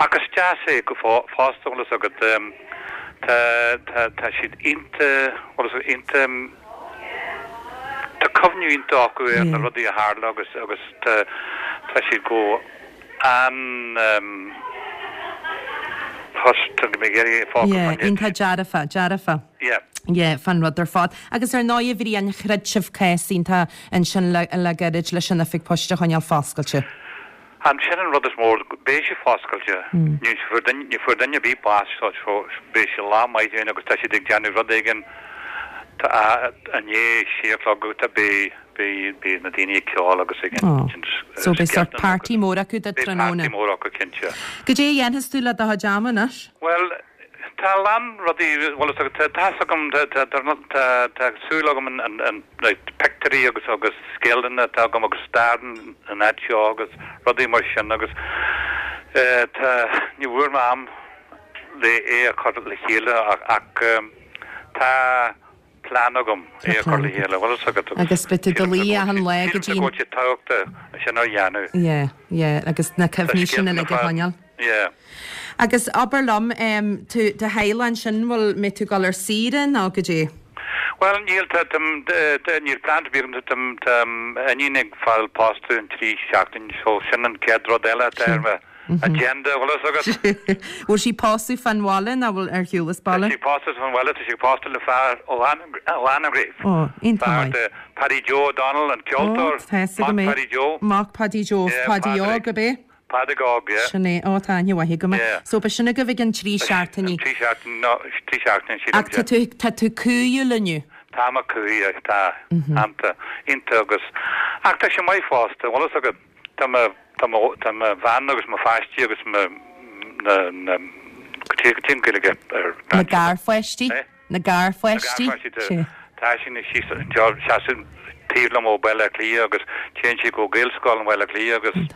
ach is deas é go fosta, bhfuil fhios agat. Tá, tá, tá siad iontach, bhfuil fhios agat, iontach. Tá cuimhne iontach acu ar na rudaí a tharla agus agus tá tá siad go an tá mé ag iarraidh focal Yeah, iontach dearfa, dearfa. Yeah. Yeah, fan rud ar fad. Agus ar ndóigh a Bhriain, throid sibh cás iontach ansin le le gairid leis an oifig poist a choinneáil foscailte. An sin an rud is mó, beidh sí foscailte. Ní fuair duine, ní fuair duine ar bith bás so beidh sé lá maith dúinn agus tá siad ag déanamh rud éigin tá i ndiaidh sé a chlog tá beidh, beidh, beidh na daoine ag ceol agus ag Oh. So beidh sort party mór acu do Beidh tráthnóna. party mór acu cinnte. Goidé a dhéanfas tú le do chuid ama anois? Bhuel, tá a lán rudaí, bhuel tá tá's agam, tá tá tá tá súil agam an an an like pictiúirí agus agus scéalta atá agam agus stair an áit seo agus rudaí mar sin agus eh tá ní bhfuair mé am le é a chur le chéile ach ach tá plean agam é a chur le chéile, bhfuil fhios agat agus Agus beidh tú do luí achan lá go dtí go bhfuil sé tábhachtach sin a dhéanamh. Yeah, yeah, agus na cuimhní sin uilig a choinneáil. Yeah. Agus abair liom, tú, do theaghlach ansin, bhfuil, mbeidh tú ag dul ar saoire nó goidé? Bhuel, níl, tá, tá, tá, níl plean ar bith agam, tá, tá iníon ag fáil pósta in trí seachtain, so sin an chéad rud eile atá ar mo agenda, bhfuil fhios agat? Bhfuil sí pósadh fán bhaile nó bhfuil ar shiúl as baile? Tá sí pósta fán bhaile, tá sí pósta le fear ó Anagaire. Ó, iontach maith. Fear de Paddy Joe O'Donnell, an ceoltóir, Ó, tá fhios agam é. Mac Paddy Joe. Mac Paddy Joe, Paddy Óg, ab é? Pádraig Óg, yeah. Sin é. Ó, tá aithne mhaith agam air. Yeah. So, beidh sin agaibh i gcionn trí seachtainí. Trí seachtain, no, trí seachtaine, sílim, Ach tá tú, tá tú cumhaidhiúil inniu. Tá mé cumhaidh, tá. Iontach, iontach agus, ach tá sé maith fosta, bhfuil fhios agat, tá mo, tá mo, tá mo bhean agus mo pháistí agus mo, na, na, cad é, cad é an Ghaeilge ar. Na garpháistí? Eh? Na garpháistí? Na garpháistí, tá sí ina seasamh taobh liom ó Bhaile Átha Cliath agus téann sí go Gaelscoil in Bhaile Átha Cliath agus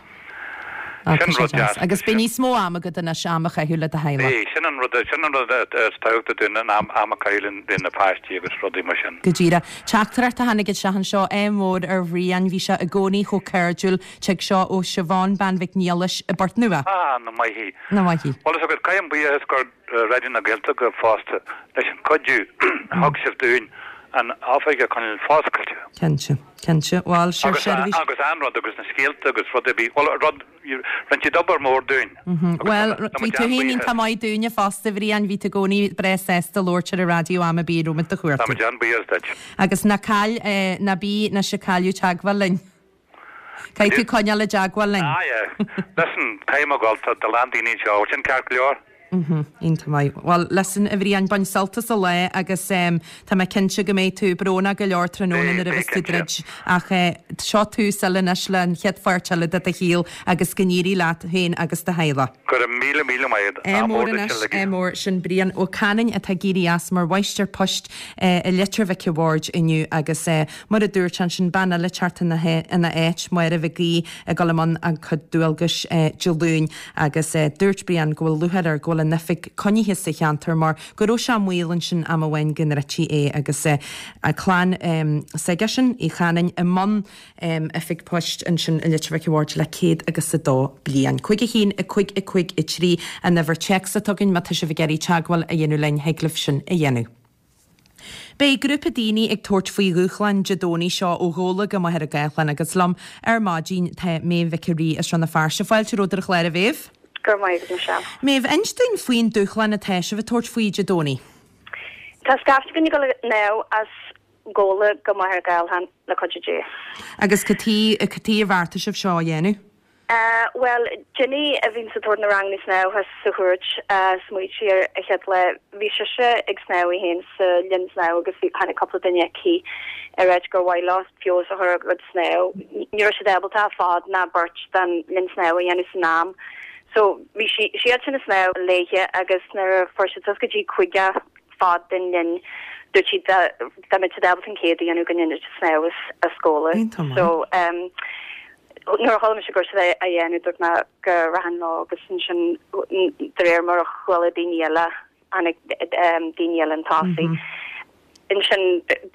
sin rud deas. Agus beidh níos mó ama agat anois am a chaitheamh le do theaghlach. Beidh, sin an rud, sin an rud is tábhachtaí dúinn, an am, am a chaitheamh le na páistí agus rudaí mar sin. Go díreach. Teachtaireacht a tháinig isteach anseo, ádh mór ar Bhrian, bhí sé i gcónaí chomh cairdiúil, tig seo ó Siobhán, Bean Mhic Niallais i bPort Nua. Ah, nach maith í. Nach maith í. Bhuel, is agat, caithim buíochas go Raidió na Gaeltachta fosta leis an cuidiú a thug sibh dúinn an oifig a choinneáil foscailte. Cinnte, cinnte. Bhuel, sure, seirbhís. Agus an rud agus na scéalta agus rud ar bith, bhuel, rud, rinne siad obair mhór dúinn. Bhuel, bhí tú féin iontach maith dúinne fosta, a Bhriain, bhí tú i gcónaí breá sásta labhairt ar an raidió am ar bith a raibh muid do chuartú. Tá muid an-bhuíoch duit. Agus ná caill, ná bí anois ag cailleadh teagmháil linn. Caithfidh tú coinneáil i dteagmháil linn. Ah yeah. Listen, caithfidh mé a ghabháil, tá a lán daoine anseo, sin ceart go leor? Iontach maith. Bhuel, listen, a Bhriain, bain sult as an lá agus tá mé cinnte go mbeidh tú brónach go leor tráthnóna nuair a bheas tú ag druid ach seo tús eile anois le an chéad pháirt eile de do shaol agus go n-éirí leat féin agus do theaghlach. Go raibh míle míle maith agat. Ádh mór anois, ádh mór. Sin Brian Ó Canainn atá ag éirí as mar mháistir poist i Leitir Mhic a' Bhaird inniu agus mar a dúirt sé ansin, bean eile ag teacht ina áit, Máire Mhic Aoidh, ag dul i mbun a cuid dualgais Dé Luain agus dúirt Brian go bhfuil lúcháir air go bhfuil an oifig coinnithe sa cheantar mar go raibh sé i mbaol ansin am amháin go ndruidtí é agus clann s'aigesean, Uí Chanainn, i mbun oifig poist ansin i Leitir Mhic a' Bhaird le céad agus a dó bliain. Cúig a haon, a cúig, a cúig, a trí an uimhir téacs atá againn má tá sibh ag iarraidh teagmháil a dhéanamh linn thig libh sin a dhéanamh. Beidh grúpa daoine ag tabhairt faoi dhúshlán Dé Domhnaigh seo ó Ghabhla go Machaire Gathlán agus liom ar maidin tá Méabh Mhic a' Rí as Rann na Feirste. Fáilte romhat ar an chlár a Mhéabh. Go raibh maith agat Michelle. Méabh, inis dúinn faoin dúshlán atá sibh ag tabhairt faoi Dé Domhnaigh. Tá scaifte againn ag dul ag snámh as Gabhla go Machaire Gathlán le cuidiú Dé. Agus cad chuige, cad chuige ar bheartaigh sibh seo a dhéanamh? Bhuel, Jenny a bhíonns ag tabhairt na ranganna snámha thuas sa Chúirt, smaoitigh sí air an chéad lá. Bhí sise ag snámh í féin sa linn snámha agus bhí, tháinig cúpla duine chuici ag ráit gur mhaith leo feabhas a chur ar a gcuid snámh. Ní raibh siad ábalta fad ná beirt den linn snámha a dhéanamh san am. So bhí sí, siad sin ag snámh léithe agus nuair a fuair siad suas go dtí cúigear fad den linn dúirt siad dá dá mbeadh siad ábalta an céad a dhéanamh go ndéanfaidh siad snámh as, as Gabhla. So um, Nuair a chuala mise go raibh siad á dhéanamh dúirt mé go rachainn leo agus ansin de réir mar a chuala daoine eile tháinig daoine eile chun tosaigh. Ansin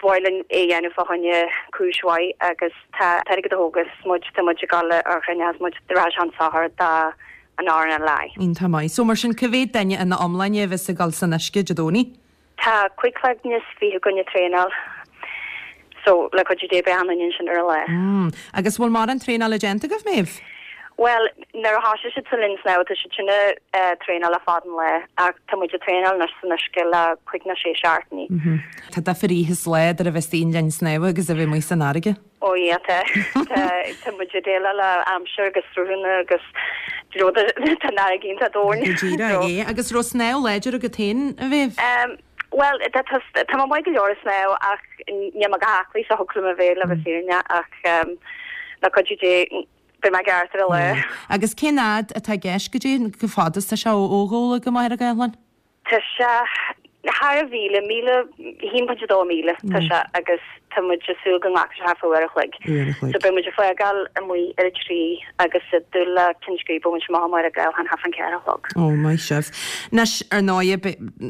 ba mhaith linn é a dhéanamh fá choinne cúis mhaith agus tá an t-airgead a thógas muid tá muid ag dul ar chruinneachas muid rachaidh sé chun sochair do an RNLI. Iontach maith. So mar sin cá mhéad duine ina iomláine a bheas ag dul san uisce Dé Domhnaigh? Tá cúig chloigne is fiche againn ag traenáil so le cuidiú Dé beidh achan duine ansin ar an lá. Mm. Agus bhfuil mórán traenála déanta agaibh, Méabh? Bhuel, nuair a thosaigh siad sa linn snámha tá siad sin ag traenáil le fada an lá ach tá muid ag traenáil anois san uisce le cúig nó sé seachtainí. Tá difear oíche is lá idir a bheith istigh i linn snámha agus a bheith amuigh san fharraige. Ó yeah tá. Tá tá muid ag déileáil le aimsir agus sruthanna agus do you know tá an fharraige iontach domhain. Go díreach, yeah. Agus raibh snámh láidir agat féin, a Mhéabh? Em bhuel tá tá tá mé maith go leor ag snámh ach níl mé chomh haclaí is a thiocfadh liom a bheith le bheith fírinneach ach em le cuidiú Dé beidh mé ceart ar an lá. Agus cén fhad atá i gceist goidé chomh fada is tá sé ó ó Ghabhla go Machaire Gathlán? Tá sé thar a mhíle, míle, a haon pointe dó míle tá sé agus tá muid ag súil go nglacfaidh sé thart fá uair a chloig. Uair a chloig. So beidh muid ag fágáil amuigh ar a trí agus ag dúil le ceann scríbe a bhaint amach i Machaire Gathlán thart fán ceathair a chlog. Ó, maith sibh. Anois, ar ndóighe,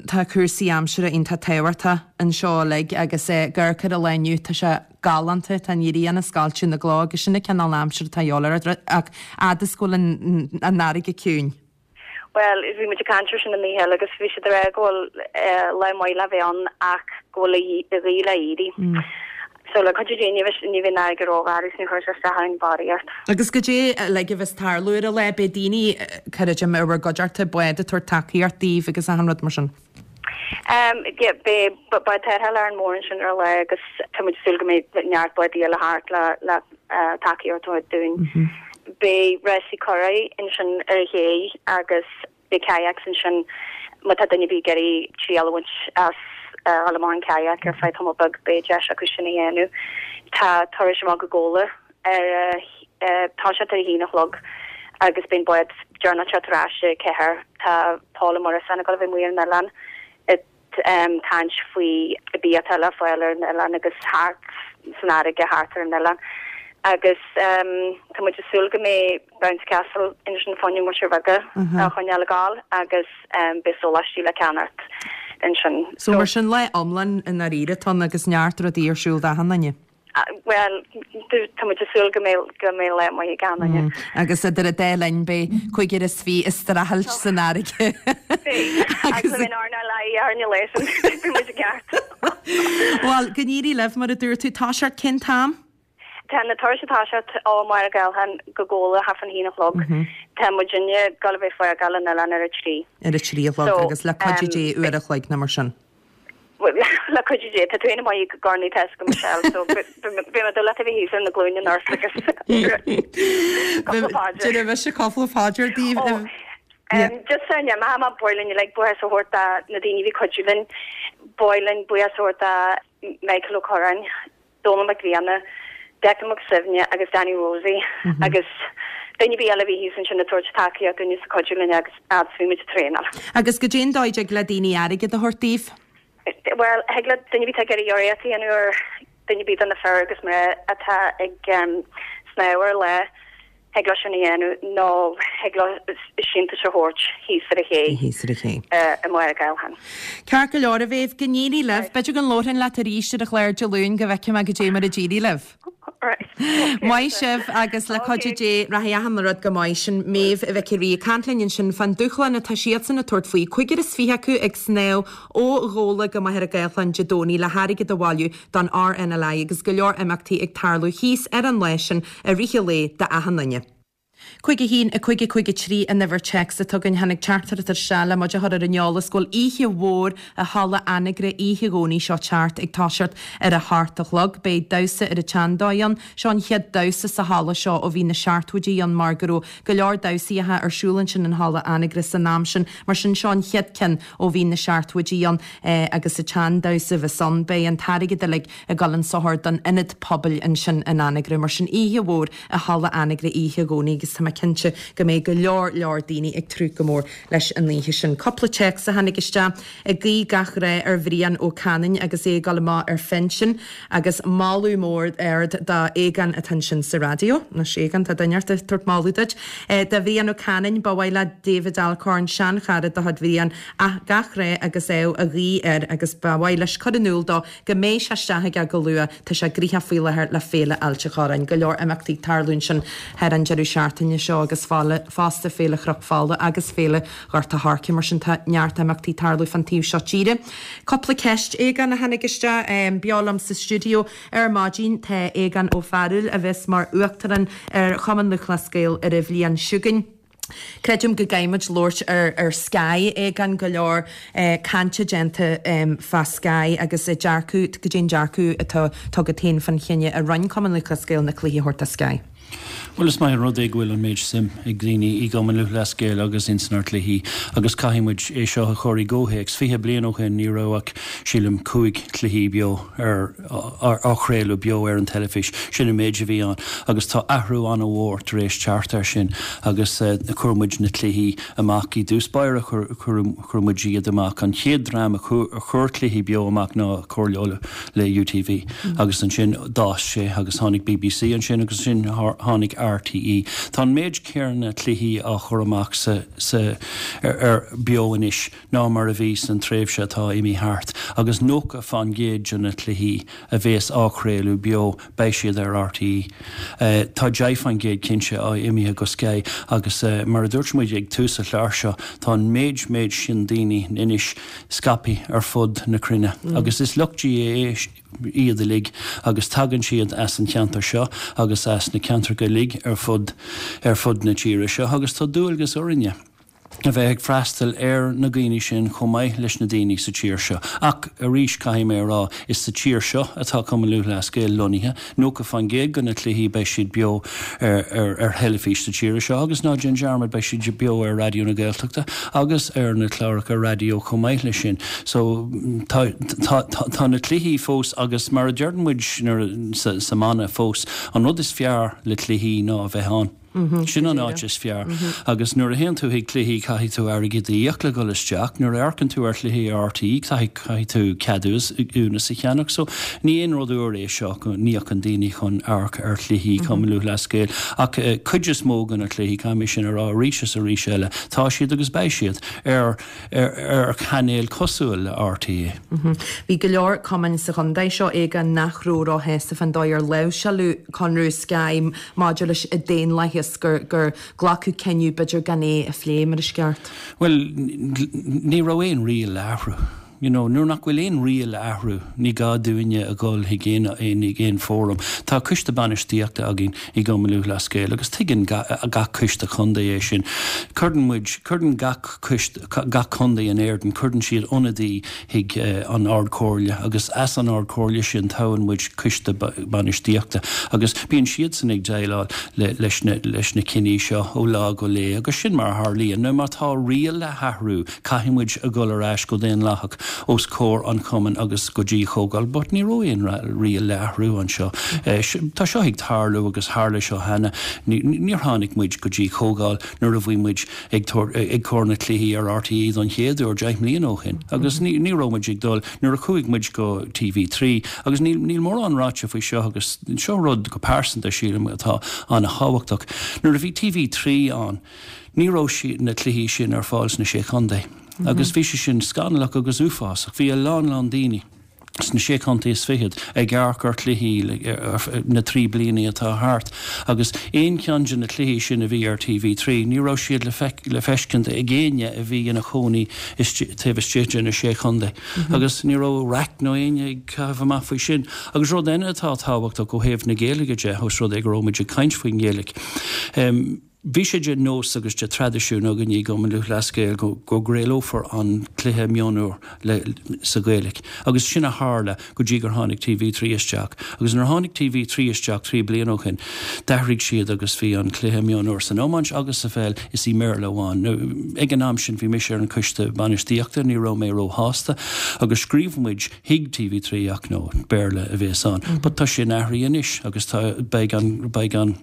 tá cúrsaí aimsire iontach tábhachtach anseo uilig agus ag amharc ar an lá inniu, tá sé galánta, tá an ghrian ag scoilteadh na gcloch agus sin an cineál aimsire atá a dhíobháil ort ach fhad is go bhfuil an fharraige ciúin. Bhuel, bhí muid ag caint air sin an oíche eile agus bhí siad ag rá go bhfuil lá maith le bheith ann ach go bhfuil an ghaoth le éirí. So le cuidiú Dé ní bheidh ní bheidh an fharraige rógharbh is ní chuirfidh sé isteach orainn barraíocht. Agus goidé uilig a bheas ag tarlú ar an lá, beidh daoine, creidim, ar bhur gcuideachta, bád ag tabhairt tacaíocht daoibh agus achan rud mar sin. Yeah, beidh bád tarrthála Árainn Mhór ansin ar an lá agus tá muid ag súil go mbeidh neart bádaí eile thart le le tacaíocht a thabhairt dúinn. Beidh rásaí curraigh ansin ar an ché agus beidh kayaks ansin má tá duine ar bith ag iarraidh triail a bhaint as dhul amach an kayak ar feadh tamall beag beidh deis acu sin a dhéanamh. Tá turais amach go Gabhla ar ag toiseacht ar a haon a chlog agus beidh an bád deireanach ag teacht ar ais ag ceathair. Tá Paul Ó Muireasáin ag dul a bheith amuigh ar an oileán ag caint faoi bia atá le fáil ar an oileán agus thart san fharraige thart ar an oileán. Agus tá muid ag súil go mbeidh Bounce Castle ansin fá choinne muintir bheaga a choinneáil ag gabháil agus beidh sóláistí le ceannacht ansin. So mar sin lá iomlán i ndáiríre atá ann agus neart rudaí ar siúl d'achan duine. Bhuel, tá muid ag súil go mbeidh go mbeidh lá maith ag achan duine. Agus idir an dá linn beidh cúigear is fiche ag streachailt san fharraige. Beidh. Agus le bheith in RNLI ar an lá sin, beidh muid i gceart. Bhuel, go n-éirí libh, mar a dúirt tú, toiseacht cén t-am? Tá na turais ag toiseacht ó Mhachaire Gathlán go Gabhla thart fán haon a chlog. Tá muidinne ag dul a bheith ag fágáil an oileáin ar a trí. Ar a trí a chlog agus le cuidiú Dé uair a chloig nó mar sin. Le cuidiú Dé, tá tú féin amuigh i gCorn Tesco Michelle, so beidh mé ag dúil leat a bheith thíos ar na glúine anocht agus cúpla paidir. Déanfaidh mise cúpla paidir daoibh. Um, just san ma ma boiling like buíochas a thabhairt do na daoine bhí cuidiú linn boiling buíochas a thabhairt do Michael O'Curran, Donald McVianna, Declan McSivne agus Danny Rosie mm -hmm. agus duine bí eile bhí thíos ansin ag tabhairt tacaíocht dúinn is cuidiú linn agus fhad is bhí muid ag traenáil. Agus goidé an dóigh a dtig le daoine airgead a thabhairt daoibh? Well, thig le duine bí ag iarraidh urraíocht a dhéanamh ar duine bí de na fir agus mná atá ag um, snámh ar lá thig leo sin a dhéanamh nó thig leo síntiús a thabhairt thíos ar an ché. Thíos ar an ché. I Machaire Gathlán. Ceart go leor a Mhéabh, go n-éirí libh. B'fhéidir go labhróinn leat arís ar an chlár Dé Luain go bhfeicfidh mé goidé mar a d'éirigh libh. Maith sibh agus le cuidiú Dé rachaidh achan rud go maith. Sin Méabh Mhic an Rí ag caint linn ansin fán dúshlán atá siadsan ag tabhairt faoi. Cúigear is fiche acu ag snámh ó Ghabhla go Machaire Gathlán Dé Domhnaigh le hairgead a bhailiú don RNLI agus go leor imeachtaí ag tarlú thíos ar an lá sin i rith an lae d'achan duine. Cúig a haon, a cúig a cúig a trí an uimhir téacs atá againn. Tháinig teachtaireacht isteach le muid a chur ar an eolas go bhfuil oíche mhór i Halla Anagaire oíche Dhomhnaigh seo teacht ag toiseacht ar a hocht a chlog. Beidh damhsa ar an tseandóigh ann. Seo an chéad damhsa sa halla seo ó bhí na seachtóidí ann mar go raibh go leor damhsaíocha ar siúl ansin in Halla Anagaire san am sin. Mar sin seo an chéad ceann ó bhí na seachtóidí ann agus an tseandamhsa a bheas ann. Beidh an t-airgead uilig ag dul chun sochair don ionad pobail ansin in Anagaire. Mar sin oíche mhór i Halla Anagaire oíche Dhomhnaigh agus tá mé cinnte go mbeidh go leor leor daoine ag tnúth go mór leis an oíche sin. Cúpla téacs a tháinig isteach ag guí gach rath ar Bhrian Ó Canainn agus é ag dul amach ar phinsean agus moladh mór ard do Aogán atá ansin sa raidió. Anois Aogán, tá duine ort ag tabhairt moladh duit. Do Bhrian Ó Canainn, ba mhaith le David Alcorn, seanchara de chuid Bhriain, gach rath agus ádh a ghuí air agus ba mhaith leis cur in iúl dó go mbeidh sé isteach aige go luath. Tá sé gnoitheach faoi láthair le Féile Ailt an Chorráin. Go leor imeachtaí ag tarlú ansin thar an deireadh seachtaine seo agus fosta Féile Chnoc Fola agus Féile Ghort a' Choirce. Mar sin tá neart imeachtaí ag tarlú fan taobh seo tíre. Cúpla ceist Aogán a tháinig isteach. Beo liom sa stiúideo ar maidin tá Aogán Ó Fearghail a bheas mar Uachtarán ar Chumann Lúthchleas Gael ar an bhliain seo chugainn. Creidim go gcaithfidh muid labhairt ar ar Sky, Aogán, go leor cainte déanta fá Sky agus a dearcadh, goidé an dearcadh atá agat féin fán chinneadh a rinne Cumann Lúthchleas Gael na cluichí a thabhairt do Sky. Bhuel is maith an rud é go bhfuil an méid suim ag daoine i gCumann Lúthchleas Gael agus insan ár cluichí agus caithfidh muid é seo a chur i gcomhthéacs. Fiche bliain ó shin ní raibh ach, sílim, cúig cluichí beo ar á chraoladh beo ar an teilifís. Sin an méid a bhí ann agus tá athrú an-mhór tar éis teacht air sin agus chuir muid na cluichí amach i dtús báire, chuir muid iad amach. An chéad dream a chuir cluichí beo amach ná Comhairle Uladh le UTV agus ansin d'fhás sé agus tháinig BBC ansin agus ansin tháinig RTÉ. Tá an méid céanna cluichí á chur amach sa, sa, ar, ar beo anois ná mar a bhí san tréimhse atá imithe thart agus nócha fán gcéad de na cluichí a bhéas á chraoladh beo beidh siad ar RTÉ. Tá deich fán gcéad cinnte á imithe go Sky agus mar a dúirt muid ag tús an chláir seo tá an méid méid sin daoine anois scaipthe ar fud na cruinne agus is lucht GAA iad uilig agus tagann siad as an cheantar seo agus as na ceantracha uilig ar fud ar fud na tíre seo agus tá dualgas orainne a bheith ag freastal ar na daoine sin chomh maith leis na daoine sa tír seo. Ach arís caithfidh mé a rá, is sa tír seo atá Cumann Lúthchleas Gael lonnaithe, nócha faoin gcéad de na cluichí beidh siad beo ar ar ar theilifís sa tír seo agus ná déan dearmad beidh siad beo ar Raidió na Gaeltachta agus ar na cláracha raidió chomh maith leis sin. So tá tá tá na cluichí fós agus mar a deireann muid nuair sa sa mana fós, an rud is fearr le cluichí ná a bheith ann. Sin an áit is fearr. Agus nuair a théann tú chuig cluichí caithfidh tú airgead a íoc le dhul isteach, nuair a amharcann tú ar chluichí RTÉ caithfidh tú ceadúnas a cheannach. So ní aon rud úr é seo go n-íocann daoine chun amharc ar chluichí Cumann Lúthchleas Gael. Ach cuid is mó de na cluichí, caithfidh mé sin a rá arís is arís eile, tá siad agus beidh siad ar ar chainéil cosúil le RTÉ. Bhí go leor cumainn sa chontae seo Aogán nach raibh róshásta fán dóigh ar láimhseáladh conradh Sky maidir leis an daonlathas gur gur glacadh cinneadh b'fhéidir gan é a phlé mar is ceart. Bhuel, ní raibh aon riail le athrú. You know, nuair nach bhfuil aon riail le athrú, ní gá dúinne a dhul chuig aon aon aon fóram. Tá coiste bainistíochta againn i gCumann Lúthchleas Gael agus tuigeann gach coiste contae é sin. Cuireann muid, cuireann gach coiste, gach contae in Éirinn, cuireann siad ionadaí chuig an Ard-Chomhairle agus as an Ard-Chomhairle sin toghann muid coiste bainistíochta agus bíonn siadsan ag déileáil le, leis na, leis na cinní seo ó lá go lá agus sin mar a tharlaíonn. Now má tá riail le hathrú, caithfidh muid a dhul ar ais go daonlathach os comhair an chumainn agus go dtí comhdháil, but ní raibh aon riail le athrú anseo. Tá seo ag tarlú agus tharla seo cheana. Níor tháinig muid go dtí comhdháil nuair a bhí muid ag ag cur na cluichí ar RTÉ don chéad uair deich mbliana ó shin. Agus ní ní raibh muid ag dul nuair a chuaigh muid go TV trí agus níl níl mórán ráite faoi seo agus seo rud go pearsanta sílim atá an-thábhachtach. Nuair a bhí TV trí ann, ní raibh na cluichí sin ar fáil sna sé chontae. Agus bhí sé sin scannalach agus uafásach. Bhí a lán lán daoine sna sé chontae is fichead ag amharc ar chluichí na trí bliana atá thart agus aon cheann de na cluichí sin a bhí ar TV trí, ní raibh siad le le feiscint ag éinne a bhí ina chónaí taobh istigh de na sé chontae. Agus ní raibh raic nó éinne ag caitheamh amach faoi sin. Agus rud eile atá tábhachtach ó thaobh na Gaeilge de, os rud é go raibh muid ag caint faoin nGaeilge. Um, Bhí sé de nós agus de traidisiún againn i gCumann Lúthchleas Gael go go gcraolófar an cluiche mionúr le sa Ghaeilge. Agus sin a tharla go dtí gur tháinig TV trí isteach. Agus nuair tháinig TV trí isteach trí bliana ó shin, d'athraigh siad agus bhí an cluiche mionúr san iomáint agus sa pheil is i mBéarla amháin. Ag an am sin bhí mise ar an coiste bainistíochta, ní raibh mé róshásta, agus scríobh muid chuig TV trí ach nó Béarla a bheas ann. But tá sin athraithe anois agus tá beidh an beidh an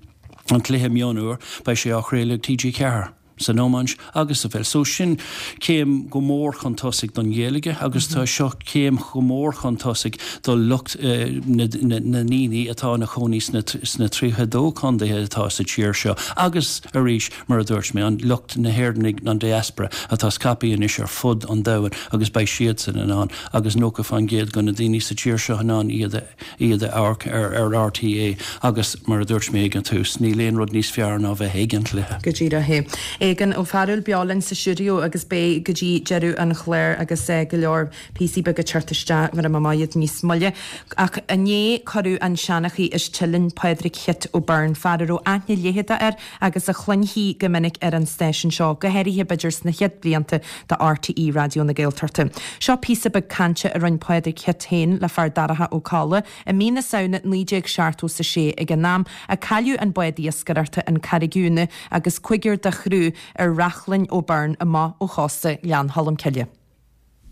an cluiche mionúr beidh sé á chraoladh TG Ceathair san iomáint agus sa pheil. So sin céim go mór chun tosaigh don Ghaeilge agus tá seo céim go mór chun tosaigh do lucht na ndaoine atá ina chónaí sna sna tríocha dó contaetha atá sa tír seo agus arís mar a dúirt mé an lucht na hÉireannaigh an diaspora atá scaipthe anois ar fud an domhain agus beidh siadsan in ann agus nócha faoin gcéad de na daoine sa tír seo in ann iad a iad a amharc ar ar RTÉ agus mar a dúirt mé ag an tús níl aon rud níos fearr ná bheith ag an chluiche. Go díreach é. Aogán Ó Fearghail beo linn sa stiúideo agus beidh go dtí deireadh an chláir agus go leor píosaí beaga teacht isteach mar a mbeidh níos moille. Ach inné cuireadh an seanchaí as Teileann Pádraig Chit O'Byrne, fear a raibh aithne leitheadach air agus a chluinfí go minic ar an stáisiún seo, go háirithe b'fhéidir sna chéad blianta de RTÉ Raidió na Gaeltachta. Seo píosa beag cainte a rinne Pádraig Chit féin le fear Darach Ó Colla i mí na Samhna naoi déag seachtó is a sé ag an am a cailleadh an bád iascaireachta an Carraig Úna agus cúigear dá chriú ar Reachlainn O'Byrne amach ó chósta Ghleann Cholm Cille.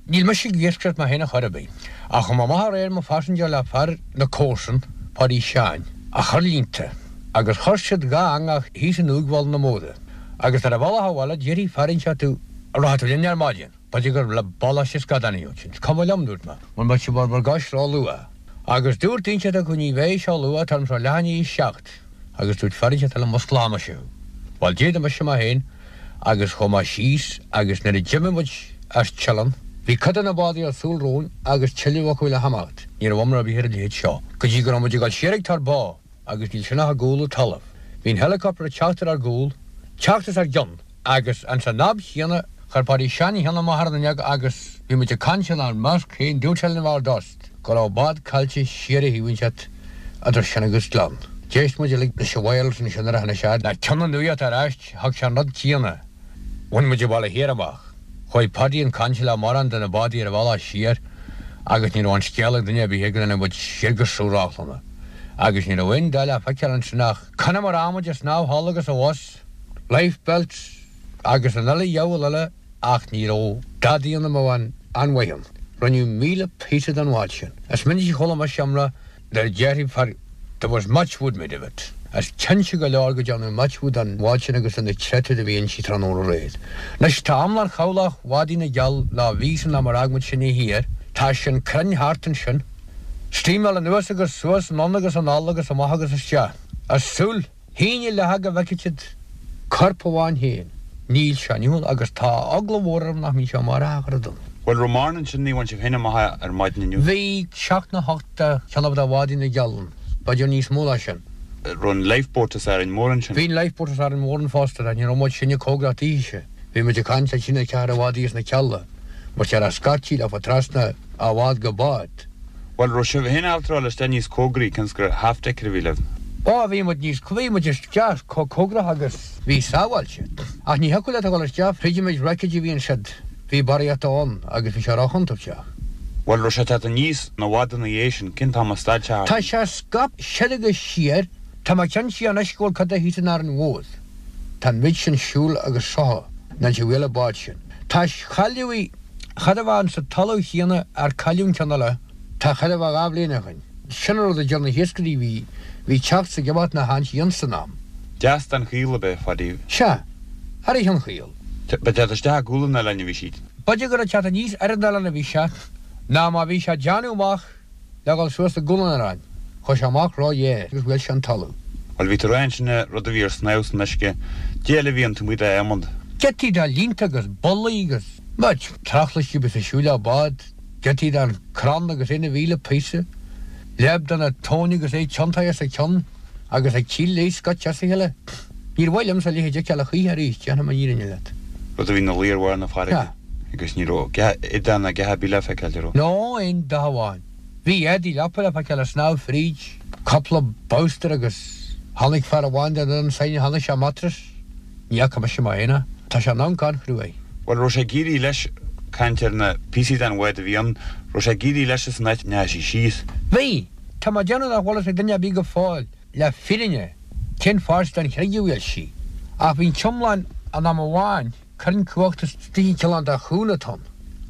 Níl mise ag iascaireacht mé féin a chor ar bith, ach chuaigh mé amach aréir mo phaisinéir le fear na comharsan, Páidí Sheáin, a chur línte, agus chuir siad dhá eangach thíos in uaigh Bhaile na Módha, agus ar a bhealach abhaile déarfaidh fear inteacht tú, an rachaidh tú linn ar maidin? B'fhéidir gur le bealach síos scadáin ansin. Is cuma liom, dúirt mé, mura mbeadh sibh bhur bhur gcois ró-luath. Agus dúirt inteacht acu ní bheidh sé luath, tá orm seo leath i ndiaidh a seacht. Agus dúirt fear inteacht eile musclóidh mise thú. Bhuel, d'éirigh mise mé féin agus chuaigh mé síos agus nuair a d'imigh muid as Teileann, bhí cuid de na bádaí ar siúl romhainn agus tuilleadh acu le himeacht. Ní raibh iomrá ar bith ar a leithéid seo. Go dtí go raibh muid ag dul siar ag Tor Bó agus níl sin ach i gcúl an talaimh. Bhí an helicopter ag teacht ar ár gcúl, teacht as ár gcionn agus ins an am chéanna chuir Páidí Seán a cheann amach ar an fhuinneog agus bhí muid ag caint inár measc féin, dúirt sé linn i dtost go raibh bád caillte siar a thaobh inteacht idir sin agus gleann. D'éist muid uilig leis an wireless ansin nuair a tháinig sé le ceann an nuaíocht ar ais, thug sé an rud céanna. Bhain muid an baile thiar amach. Chuaigh Paddy chun cainte le mórán de na bádaí ar a bhealach siar agus ní raibh an scéal ag duine ar bith go dtáinig muid siar go Sruth Reachlainne agus ní raibh aon dóigh le feiceáil ansin ach Conamara muid ag snámh thall agus abhus, life belts agus an uile dheabhal eile ach ní raibh dadaí ann a mbeadh an-mhaith ann. Rinneadh míle píosa den bhád sin. Is minic a chuala mise iomrá nuair a déarfaidh fear There was matchwood made of it. Is cinnte go leor go dtearnadh matchwood den bhád sin agus de na créatúir a bhí inti tráthnóna aréir. Anois tá iomlán chabhlach Bhádaí na gCeall lá bhí san am ar fhág muid sinne thiar, tá sin cruinn thart ansin. Steamáil anuas agus suas, anonn agus anall agus amach agus isteach. Is súil. Shín a leath go bhfeicfidh siad corp amháin féin. Níl sé inniu agus tá eagla mhór orm nach mbíonn sé amárach a chur dom. Bhuel, raibh mórán ansin, ní bhain sibh féin amach ar maidin inniu. Bhí seacht nó hocht de cheann de Bhádaí na gCeall ann, b'fhéidir níos mó ná sin. Raibh an lifeboat as Árainn Mhór ansin? Bhí an lifeboat as Árainn Mhór ann fosta, ach ní raibh muid sinne cóngarach daoithe. Bhí muid ag caint le trína ceathair de bhádaí as na Cealla. Mar sé a scaití leofa trasna ó bhád go bád. Bhuel, raibh sibh féin ábalta dul isteach níos cóngaraí cionn is gur half decker a bhí libh? Ó, bhí muid níos, bhí muid isteach chomh cóngarach agus bhí sábháilte. Ach ní thiocfadh leat a dhul isteach fríd an méid wreckage a bhí ansiud. Bhí barraíocht ann agus bhí sé róchontúirteach. Bhuel, raibh sé ag teacht aníos i bhfad ina dhiaidh sin, cén t-am a stad sé thart? Tá sé scaipthe soir agus siar, tá mé cinnte anois go bhfuil cuid de thíos in Árainn Mhór. Tá an méid sin siúl agus seo ná an bhfuil an bád sin. Tá cailleadh í, char a bheith sa talamh chéanna ar cailleadh an ceann eile, tá char a bheith dhá bhliain ó shoin. Sin an rud a deir na hiascairí, bhí, bhí teacht 's ag imeacht na haint san am. Deas den chaol ab ea, Phadaí? Sea, ar an chaol. Ba teacht isteach i gcúl an oileáin a bhí siad. B'fhéidir gur ag teacht aníos ar an oileán a bhí sé, ná má bhí sé ag déanamh amach le dhul suas i gcúl an oileáin, chuaigh sé amach ró-ghéar agus bhuail sé an talamh. Bhuel, bhí tú ag rá ansin rud a bhí ar snámh san uisce, caidé eile a bhí ann taobh amuigh d'adhmad. Giotaí de línte agus bollaí agus muid trachlaistí bhí ag siúl le bád, giotaí den chrann agus é ina mhíle píosa, leab de na tóin agus é tiontaithe as a cionn agus ag tíl léi scoite as a chéile. Níor mhaith liomsa a leithéid a fheiceáil a choíche arís, déarfaidh mé an fhírinne leat. Rud a bhí ina luí ar bharr na farraige Sea. agus ní raibh dath ná a dhath ar bith le feiceáil di, raibh? Ná aon dath amháin. Bhí éadaí leapa le feiceáil ag snámh fríd, cúpla bolster agus tháinig fear amháin den fhoireann s'againne, tháinig sé mattress. Ní fhaca mise mé féin é. Tá sé in amharc an-chruaidh. Bhuel, raibh sé ag éirí leis, caint ar na píosaí den bhád a bhí ann, raibh sé ag éirí leis as an áit a ndeachaigh sí síos? Bhí. Tá mé ag déanamh nach bhfuil fhios ag duine ar bith go fóill, le fírinne, cén pháirt den chreig a bhuail sí. Ach bhí an t-iomlán in am amháin, crann cumhachta istigh cineál de chúnna ann.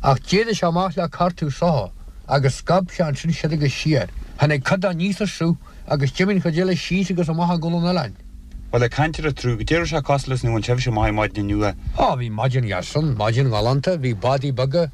Ach d'éirigh sé amach le cartadh soitheach agus scab sé ansin siar agus siar. Tháinig cuid de aníos an sruth agus d'imigh an chuid eile síos agus amach i gcúl an oileáin. Bhuel, ag caint ar an tsruth, caidé a raibh sé cosúil leis nuair a bhain sibhse amach ar maidin inniu? Á, bhí maidin dheas ann, maidin ghalánta, bhí bádaí beaga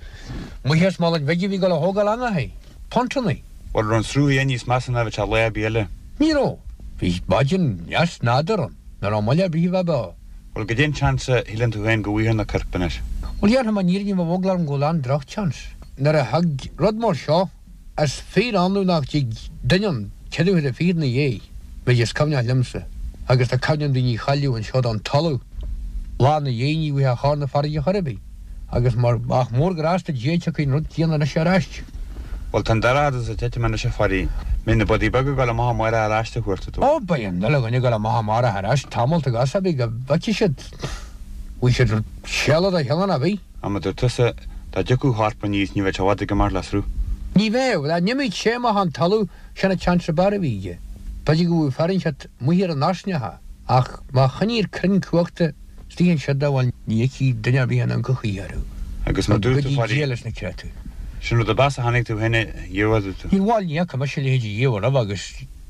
amuigh as Málainn Bhig a bhí ag dul a thógáil eangachaí, pontannaí. Bhuel, raibh an sruth féin níos measa ná a bheadh sé lá ar bith eile? Ní raibh. Bhí maidin dheas nádúrtha ann, ní raibh moill ar bith a bheith beo. Bhuel, caidé an seans a shíleann tú féin go bhfaighfear na coirp anois? Bhuel, déarfainn an fhírinne, bheadh eagla orm go bhfuil an-drochsheans. Nuair a thig rud mar seo, is fíor-annamh nach dtig duine ann ceithre huaire fichead ina dhiaidh, méid is cuimhneach liomsa, agus tá cuimhne agam daoine a chailleadh anseo don talamh lá ina dhiaidh ní bhfaighfeá chor na farraige chor ar bith, agus mar ach mór grásta Dé tiocfaidh an rud céanna anois ar ais. Bhuel, tá an dorchadas ag titim anois a Phadaí. Mbeidh na bádaí beaga ag dul amach amárach ar ais a thabhairt dó. Ó, beidh an uile dhuine ag dul amach amárach ar ais tamall agus a bheidh go bhfeicfidh siad, bhfaighidh siad séala de chineál ar bith. Ach mar a dúirt tusa, dá dtiocfadh corp aníos ní bheadh sé i bhfad ag imeacht le sruth. Ní bheadh. Dá n-imeodh sé amach an talamh, sin an tseans ab fhearr a bhí aige. B'fhéidir go bhfuil fear inteacht amuigh ar an airneacha, ach má choinníonn crann cumhachta istigh ansiúd dá bhfuil ní fheicfidh duine ar bith in ann go choíche orthu. Agus mar Go dúirt tú, dtí Phadaí, Dia leis na créatúir. sin rud ab fhearr a chonaic tú féin riamh, a dúirt tú. Níor bhuail, ní fhaca mise a leithéid riamh roimhe agus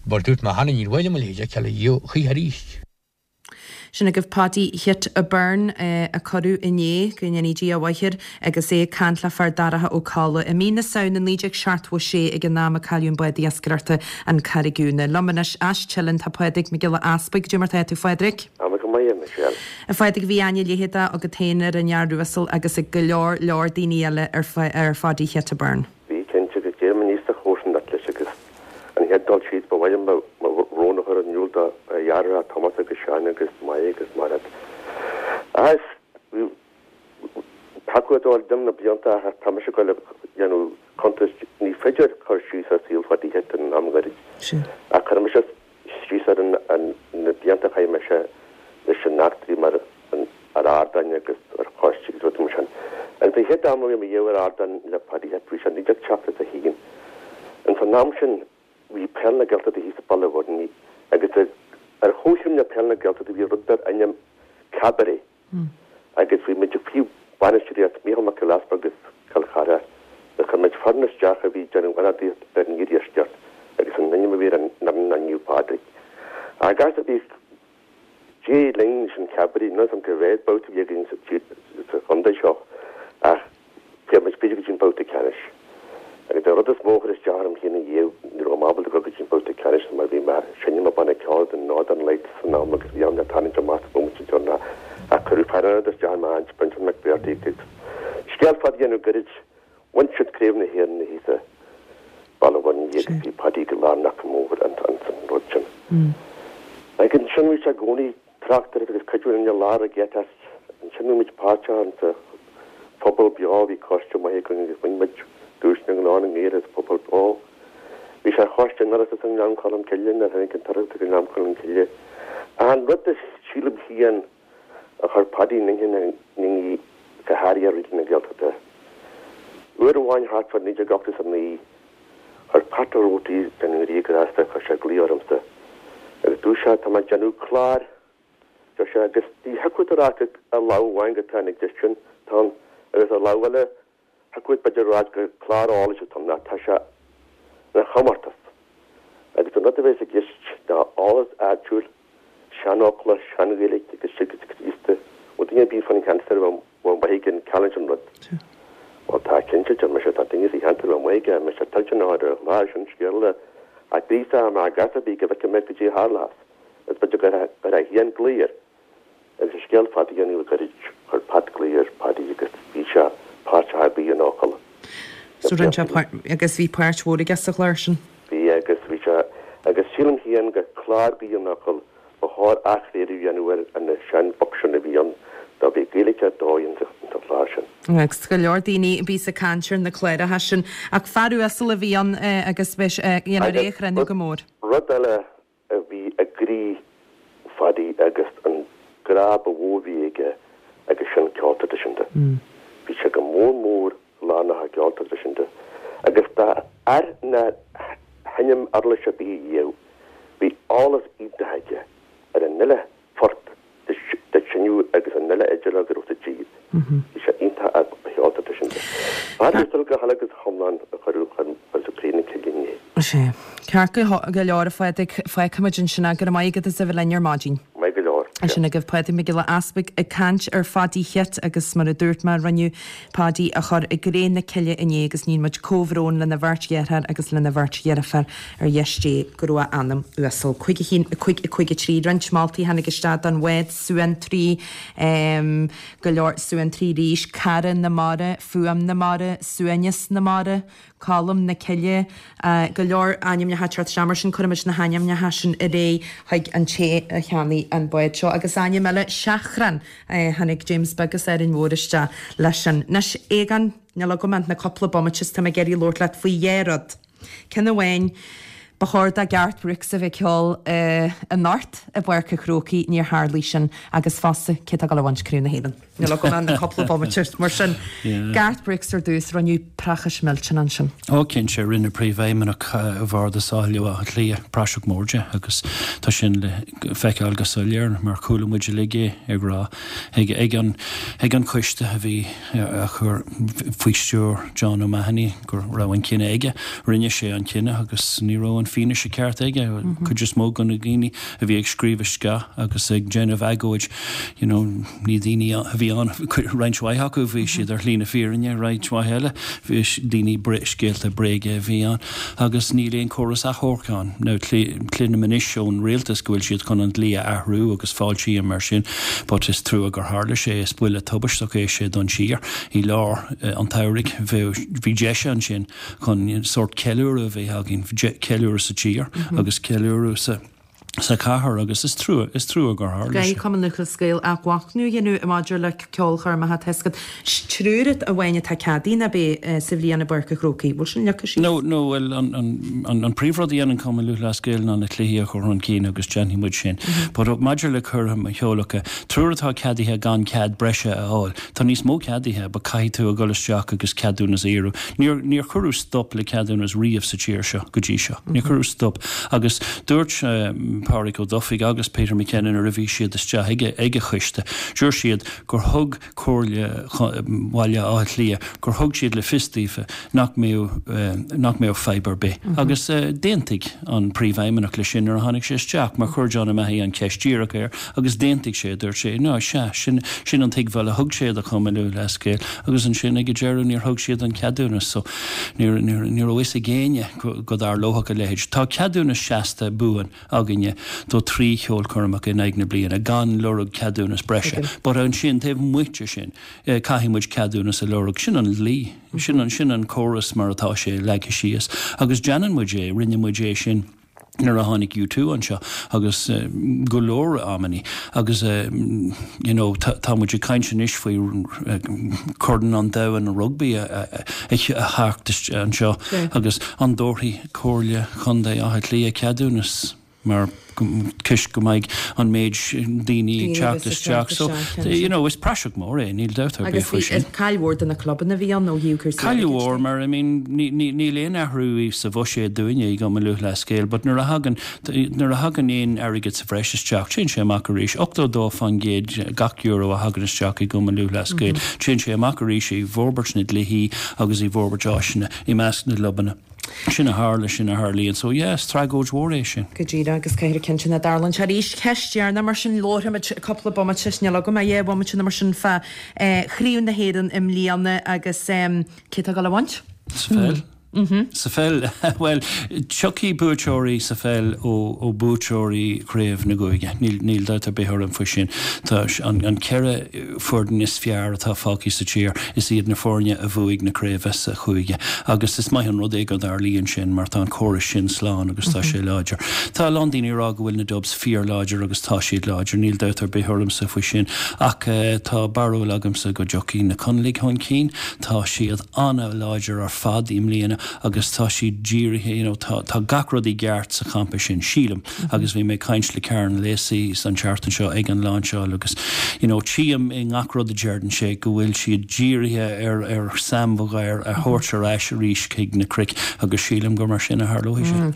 mar dúirt mé cheana níor mhaith liom a leithéid a fheiceáil riamh choíche arís. Sin agaibh Páidí Chit Byrne a cuireadh inné, go ndéanaí Dia a mhaith air, agus é ag caint le Fear Daracha Ó Colla i mí na Samhna naoi déag seachtó a sé ag an am a cailleadh an bád iascaireachta an Carraig Úna. Liom anois as Teileann tá Pádraig Mac Giolla Easpaig. Cad é mar tá tú Phádraig? Tá mé go maith, a Michelle. A Phádraig bhí aithne leitheadach agat féin ar an fhear uasal agus ag go leor leor daoine eile ar ar Pháidí Chit Byrne. Bhí cinnte agus d'éirigh mé aníos sa chomharsanacht leis agus an chéad dul síos ba mhaith liom mo bhrón a chur in iúl do dheartháireacha Tomás agus Seán agus Máire agus Mairéad. Agus tacú dóil dom na blianta ach tá mise ag dul a dhéanamh cuntas ní féidir cur síos ar saol Pháidí Chit in am gairid. Ach chuir mise síos ar an na blianta a chaith mise leis an eachtraí mar ar ardáin agus ar choistí agus rudaí mar sin. Agus an chéad am a bhí mé riamh ar ardán le Paddy Chit bhí sé naoi déag seachtó a haon. Ins an am sin bhí Peil na Gaeltachta thíos i Baile Bhuirne agus ar chomhchéim le Peil na Gaeltachta bhí rud dar ainm Cabaret agus bhí muid faoi bhainistíocht Mícheál Mac Giolla Easpaig agus Cill Chartha. Chuir muid foireann isteach a bhí ag déanamh ionadaíocht ar an iardheisceart agus an ainm a bhí ar an fhoireann ná Naomh Pádraig. Agus bhí Dé linn leis an Cabaret, níl a fhios agam cé mhéad babhta a bhí againn sa chontae seo ach chuaigh muid b'fhéidir go dtí an babhta ceannais. Agus an rud is mó a chuir isteach orm féin riamh, ní raibh mé ábalta dul go dtí an babhta ceannais mar bhí mé ag seinm i mbanna ceoil The Northern Lights san am agus bhí orm tarraingt amach sa bhomaite deireanach ach cuireadh fear ionad isteach i m'áit, Brendan McBrearty agus scéal fada a dhéanamh gairid, bhain siad Craobh na hÉireann thíos i Baile Bhuirne agus bhí Paddy go lárnach go mór ins an rud sin. Ag ansin bhí sé i gcónaí tráchtaireacht agus cuid mhór i lár ag Ansin bhí muid páirteach insa Pobal Beo, bhí coiste maith againn agus bhain muid duais na nGlór na nGael as Pobal Beo. Bhí sé ar choiste an Oireachtais i nGleann Cholm Cille nuair a tháinig an tOireachtas go Gleann Cholm Cille. Ach an rud a sílim féin a chuir Paddy in inchinn na ndaoine go háirithe ar Raidió na Gaeltachta, uair amháin thart fá naoi déag ochtó is a naoi, chuir Pat Ó Roarty den Ghrianghraf, chuir sé glaoch ormsa agus dúirt sé, tá mé ag déanamh clár, deir sé, agus ní thiocfadh leat a rá gur ar lámh amháin go tá an gist sin, tá an, agus ar lámh eile, thiocfadh leat b'fhéidir a rá gur clár eolais atá ann, ach tá sé ina chomórtas. Agus an rud a bheas i gceist ná eolas áitiúil, seanfhocla, sean-Ghaeilge agus agus Críosta, bhfuil duine ar bith fán cheantar a bhfuil maith aige an challenge an rud. Bhuel tá, cinnte, deir mise, tá duine sa cheantar a bhfuil maith aige, mise toilteanach ar an chlár sin, scéal eile, ach gríosadh mé gach ar bith go bhfeicfidh mé goidé a tharlós, is b'fhéidir gur ar a haon glaoch air. Agus an scéal fada a dhéanamh gairid, chuir Pat glaoch ar Paddy agus bhí sé páirteach i Gaoth an Fhocail. So rinne sé páirt, agus bhí páirt mhór aige sa chlár sin. Bhí, agus bhí sé, agus sílim féin gur clár Gaoth an Fhocail ba chóir athchraoladh a dhéanamh ar na sean-books sin a bhí ann dá bhí Gaeilge ar dóigh insa chlár sin. Agus go leor daoine a bhíos ag caint ar na cláracha sin. Ach fear uasal a bhí ann agus bhí sé, you know, Agus a chruinniú go mór. Rud eile a bhí i gcroí Phaddy agus an grá ba mhó a bhí aige agus sin ceol traidisiúnta. Bhí sé go mór mór lárnach i gceol traidisiúnta agus dá fhear nár sheinm uirlis ar bith riamh, bhí eolas iontach aige ar an uile phort dár seinneadh agus an uile fhidil a raibh sa tír. Bhí sé iontach ar cheol traidisiúnta. Fear uasal go huile agus go hiomlán a cuireadh chun cré na cille inné. Sea. Ceart go leor, a Phádraig, fágfaimid ansin é. Go raibh maith agat as a bheith linn ar maidin. Maith go leor. Sin agaibh Pádraig Mac Giolla Easpaig ag caint ar Phadaí Chit agus mar a dúirt mé rinneadh Padaí a chur i gcré na cille inné agus níonn muid comhbhrón lena bheirt dheartháir agus lena bheirt dheirféar ar dheis Dé go raibh a anam uasal. Cúig a haon, a cúig, a cúig a trí, roinnt moltaí tháinig isteach don bhád Suantraí, go leor Suantraí arís, Cara na Mara, Fuaim na Mara, Suaimhneas na Mara, Colm na Cille, go leor ainmneacha ag teacht isteach mar sin cuirfimid na hainmneacha sin ar aghaidh chuig an té a cheannaigh an bád seo. Agus ainm eile, Seachrán, tháinig James Beag as Árainn Mhór isteach leis sin. Anois, Aogán, níl agam ach na cúpla bomaite is tá mé ag iarraidh labhairt leat faoi dhá rud. Ceann amháin, ba chóir do Garth Brooks a bheith ag ceol anocht i bPáirc an Chrócaigh, níor tharlaigh sin, agus fosta, cé atá ag dul a bhaint Craobh na hÉireann? Níl agam ach na cúpla bomaite, mar sin, Garth Brooks ar dtús, rinneadh praiseach millteanach ansin. Ó cinnte, rinne Príomhfheidhmeannach Bhardas Bhaile Átha Cliath praiseach mór de agus tá sin le feiceáil go soiléir mar chuala muid uilig é ag rá ag ag an ag an choiste a bhí a chur faoi stiúir John O'Mahony go raibh an cinneadh aige. Rinne sé an cinneadh agus ní raibh an fianaise ceart aige. Cuid is mó de na daoine a bhí ag scríobh isteach agus ag déanamh agóid, you know, ní daoine a bhí ann, roinnt mhaith acu bhí siad ar shlí na fírinne, roinnt mhaith eile bhí daoine scéalta bréige a bhí ann agus níl aon chóras achomhairc ann. Now cluinim anois ón rialtas go bhfuil siad chun an dlí a athrú agus fáiltím mar sin, but is trua gur tharla sé, is buille tubaisteach é sé don tír i lár an tsamhraidh. Bhí deis ansin chun sórt ceiliúradh a bheith againn, ceiliúradh sa tír agus ceiliúradh sa sa chathair agus is trua, is trua gur tharla sé. Caithfidh Cumann Lúthchleas Gael athmhachnamh a dhéanamh maidir le ceolchoirmeacha tá a fhios agat. Triúr amháin atá ceadaithe ná beidh sa bhliain i bPáirc an Chrócaigh. Bhfuil sin leagtha síos? No, no, bhuel an, an, an, an príomhrud a dhéanann Cumann Lúthchleas Gael ná na cluichí a chur chun cinn agus déanfaidh muid sin. But maidir le coirmeacha, triúr atá ceadaithe gan cead breise a fháil. Tá níos mó ceadaithe, but caithfidh tú a dhul isteach agus ceadúnas a iarraidh. Níor, níor cuireadh stop le ceadúnas riamh sa tír seo go dtí seo. Níor cuireadh stop. Agus dúirt Pádraig Ó Dufaigh agus Peter McKenna nuair a bhí siad isteach ag ag an choiste, dúirt siad gur thug Comhairle Bhaile Átha Cliath gur thug siad le fios daofa nach mbeadh nach mbeadh fadhb ar bith. Agus d'aontaigh an príomhfheidhmeannach leis sin nuair a tháinig sé isteach, mar chuir John O'Mahony an cheist díreach air agus d'aontaigh sé, dúirt sé, no sea, sin sin an tuigbheáil a thug sé do Chumann Lúthchleas Gael agus ansin ag an deireadh níor thug siad an ceadúnas so níor níor ní raibh fhios ag éinne go go dtarlódh a leithéid. Tá ceadúnas seasta buan againne do trí cheolchoirmeacha in aghaidh na bliana gan lorg ceadúnas breise. But ansin taobh amuigh de sin caithfidh muid ceadúnas a lorg sin an dlí, sin an sin an córas mar atá sé leagtha síos. Agus déanann muid é, rinne muid é sin Nuair a tháinig U two anseo agus go leor amannaí agus you know tá muid ag caint anois faoi Corn an Domhain Rugbaí a theacht anseo agus an dtabharfaidh Comhairle Chontae Átha Cliath ceadúnas mar toisc go mbeidh an méid daoine ag teacht isteach. So, you know, is praiseach mór é, níl dabht ar bith faoi sin. Agus caill mhór do na clubanna a bhí ann ó thaobh cúrsaí Caill mhór mar, I mean, níl aon athrú sa bhuiséad dúinne i gCumann Lúthchleas Gael, but nuair a thagann, nuair a thagann aon airgead sa bhreis isteach, téann sé amach arís. Ochtó dó faoin gcéad gach euro a thagann isteach i gCumann Lúthchleas Gael, téann sé amach arís i bhforbairt na gcluichí agus i bhforbairt áiseanna i measc na gclubanna. Sin a tharla, sin a tharlaíonn. So yeah, is tragóid mhór é sin. Go díreach, agus caithfear cinnte nach dtarlaíonn sé arís. Ceist dheireanach mar sin, labharfaimid cúpla bomaite, níl agam ach dhá bhomaite nó mar sin fá Chraobh na hÉireann i mbliana agus cé atá ag dul a bhaint? Sa pheil? Sa pheil, bhuel, tiocfaidh buaiteoirí sa pheil ó buaiteoirí chraobh na gcúige. Níl, níl dabht ar bith orm faoi sin. Tá an, an ceithre foireann is fearr atá fágtha sa tír, is iad na foirne a bhuaigh na craoibhe sa chúige. Agus is maith an rud é go dtarlaíonn sin mar tá an córas sin slán agus tá sé láidir. Tá a lán daoine ag rá go bhfuil na Dubs fíorláidir agus tá siad láidir, níl dabht ar bith ormsa faoi sin. Ach tá barúil agamsa go dtiocfaidh na Conallaigh chun cinn. Tá siad an-láidir ar fad i mbliana agus tá siad dírithe, you know, tá, tá gach rud i gceart sa champa sin, sílim. Agus bhí mé ag caint le Kieran Lacey an tseachtain seo ag an lainseáil agus, you know, tchím i ngach rud a deireann sé go bhfuil siad dírithe ar, ar Sam Maguire a thabhairt ar ais arís chuig na cnoic agus sílim gur mar sin a tharlóidh sé.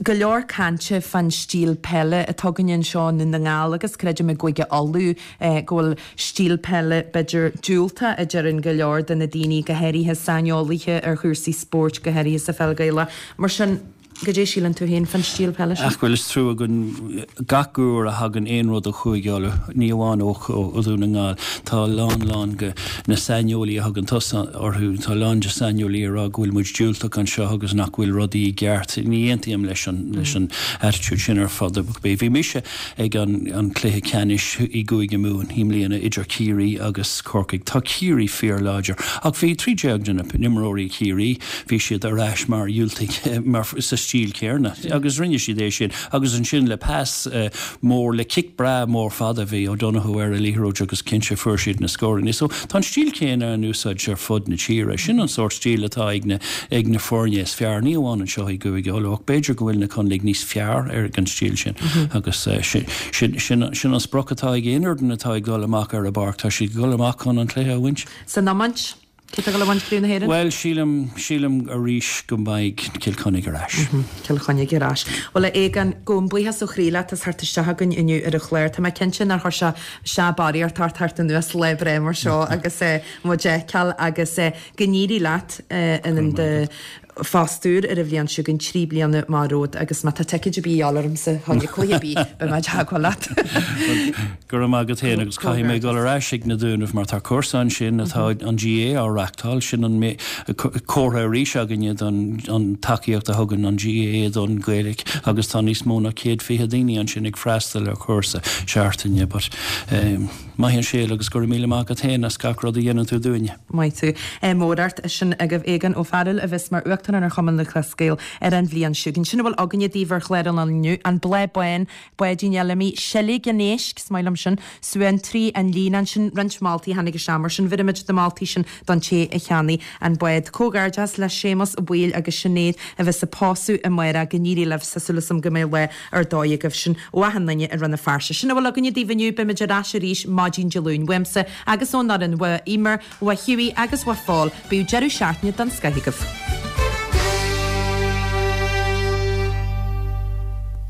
Go leor cainte fán stíl peile atá againne anseo i nDún na nGall agus creidim i gCúige Uladh go bhfuil stíl peile b'fhéidir diúltach a deireann go leor de na daoine, go háirithe saineolaithe ar chúrsaí spóirt, go háirithe sa pheil Ghaelach. Mar sin, goidé síleann tú féin fán stíl peile sin? Ach bhuel, is trua go gach uair a thagann aon rud ó Chúige Uladh, ní amháin ó Dhún na nGall, tá a lán lán de na saineolaí a thugann tusa orthu, tá a lán de saineolaí ag rá go bhfuil muid diúltach anseo agus nach bhfuil rudaí i gceart. Ní aontaím leis an leis an attitude sin ar fad. Bhí mise ag an an cluiche ceannais i gCúige Mumhan i mbliana idir Ciarraí agus Corcaigh. Tá Ciarraí fíorláidir ach bhí trí déag de na n-imreoirí Chiarraí, bhí siad ar ais mar dhiúltaigh mar sa stíl céanna agus rinne siad é sin agus ansin le pas mór le cic breá mór fada bhí O'Donoghue ar an liathróid agus cinnte fuair siad na scóranna. So tá an stíl céanna in úsáid ar fud na tíre. Sin an sórt stíl atá ag na ag na foirne is fearr, ní amháin anseo i gCúige Uladh ach b'fhéidir go bhfuil na Conallaigh níos fearr ar an stíl sin agus sin sin sin sin an sprioc atá ag aon fhoireann atá ag dul amach ar an bpáirc, tá siad ag dul amach chun an cluiche a bhaint. San iomáint, cé atá ag dul a bhaint Craobh na hÉireann? Bhuel, sílim, sílim arís go mbeidh Cill Chainnigh ar ais. Cill Chainnigh ar ais. Bhuel, a Aogáin, gabhaim buíochas ó chroí leat as theacht isteach chugainn inniu ar an chlár. Tá mé cinnte nár chuir sé sé barraíocht ort theacht anuas lá breá mar seo agus muid a fheiceáil agus go n-éirí leat in do phost úr ar an bhliain seo chugainn, trí bliana amach romhat agus má tá ticéid ar bith a dhíobháil ormsa chun cluiche ar bith, beidh mé i dteagmháil leat. Go raibh maith agat féin agus caithfidh mé dul ar ais ag na Dúnaibh mar tá cúrsa ansin atá an GAA á reachtáil, sin an comhartha arís againne don an tacaíocht a thugann an GAA don Ghaeilge agus tá níos mó ná céad fiche daoine ansin ag freastal ar chúrsa seachtaine but maith an scéal agus go raibh míle maith agat féin as gach rud a dhéanann tú dúinne. Maith thú. Mór ort. Sin agaibh Aogán Ó Fearghail a bheas mar Uachtarán ar Chumann Lúthchleas Gael ar an bhliain seo chugainn. Sin a bhfuil againne daoibh ar chlár an lae inniu, An Bláth Bán, Báidín Fheilimí, Seilg an Éisc, is maith liom sin, Suantraí, An Líonán, sin roinnt moltaí a tháinig isteach mar sin bheirimid na moltaí sin don té a cheannaigh an bád. Comhghairdeas le Séamus Ó Baoill agus Sinéad a bheas ag pósadh amárach. Go n-éirí libh, tá súil agam go mbeidh lá ar dóigh agaibh. Sin ó achan duine i Rann na Feirste. Sin a bhfuil againne daoibh inniu. Beimid ar ais arís maidin Dé Luain. Uaimse agus ón fhoireann, uaidh Eimear, uaidh Hughie agus uaidh Phól, bíodh deireadh seachtaine den scoith agaibh.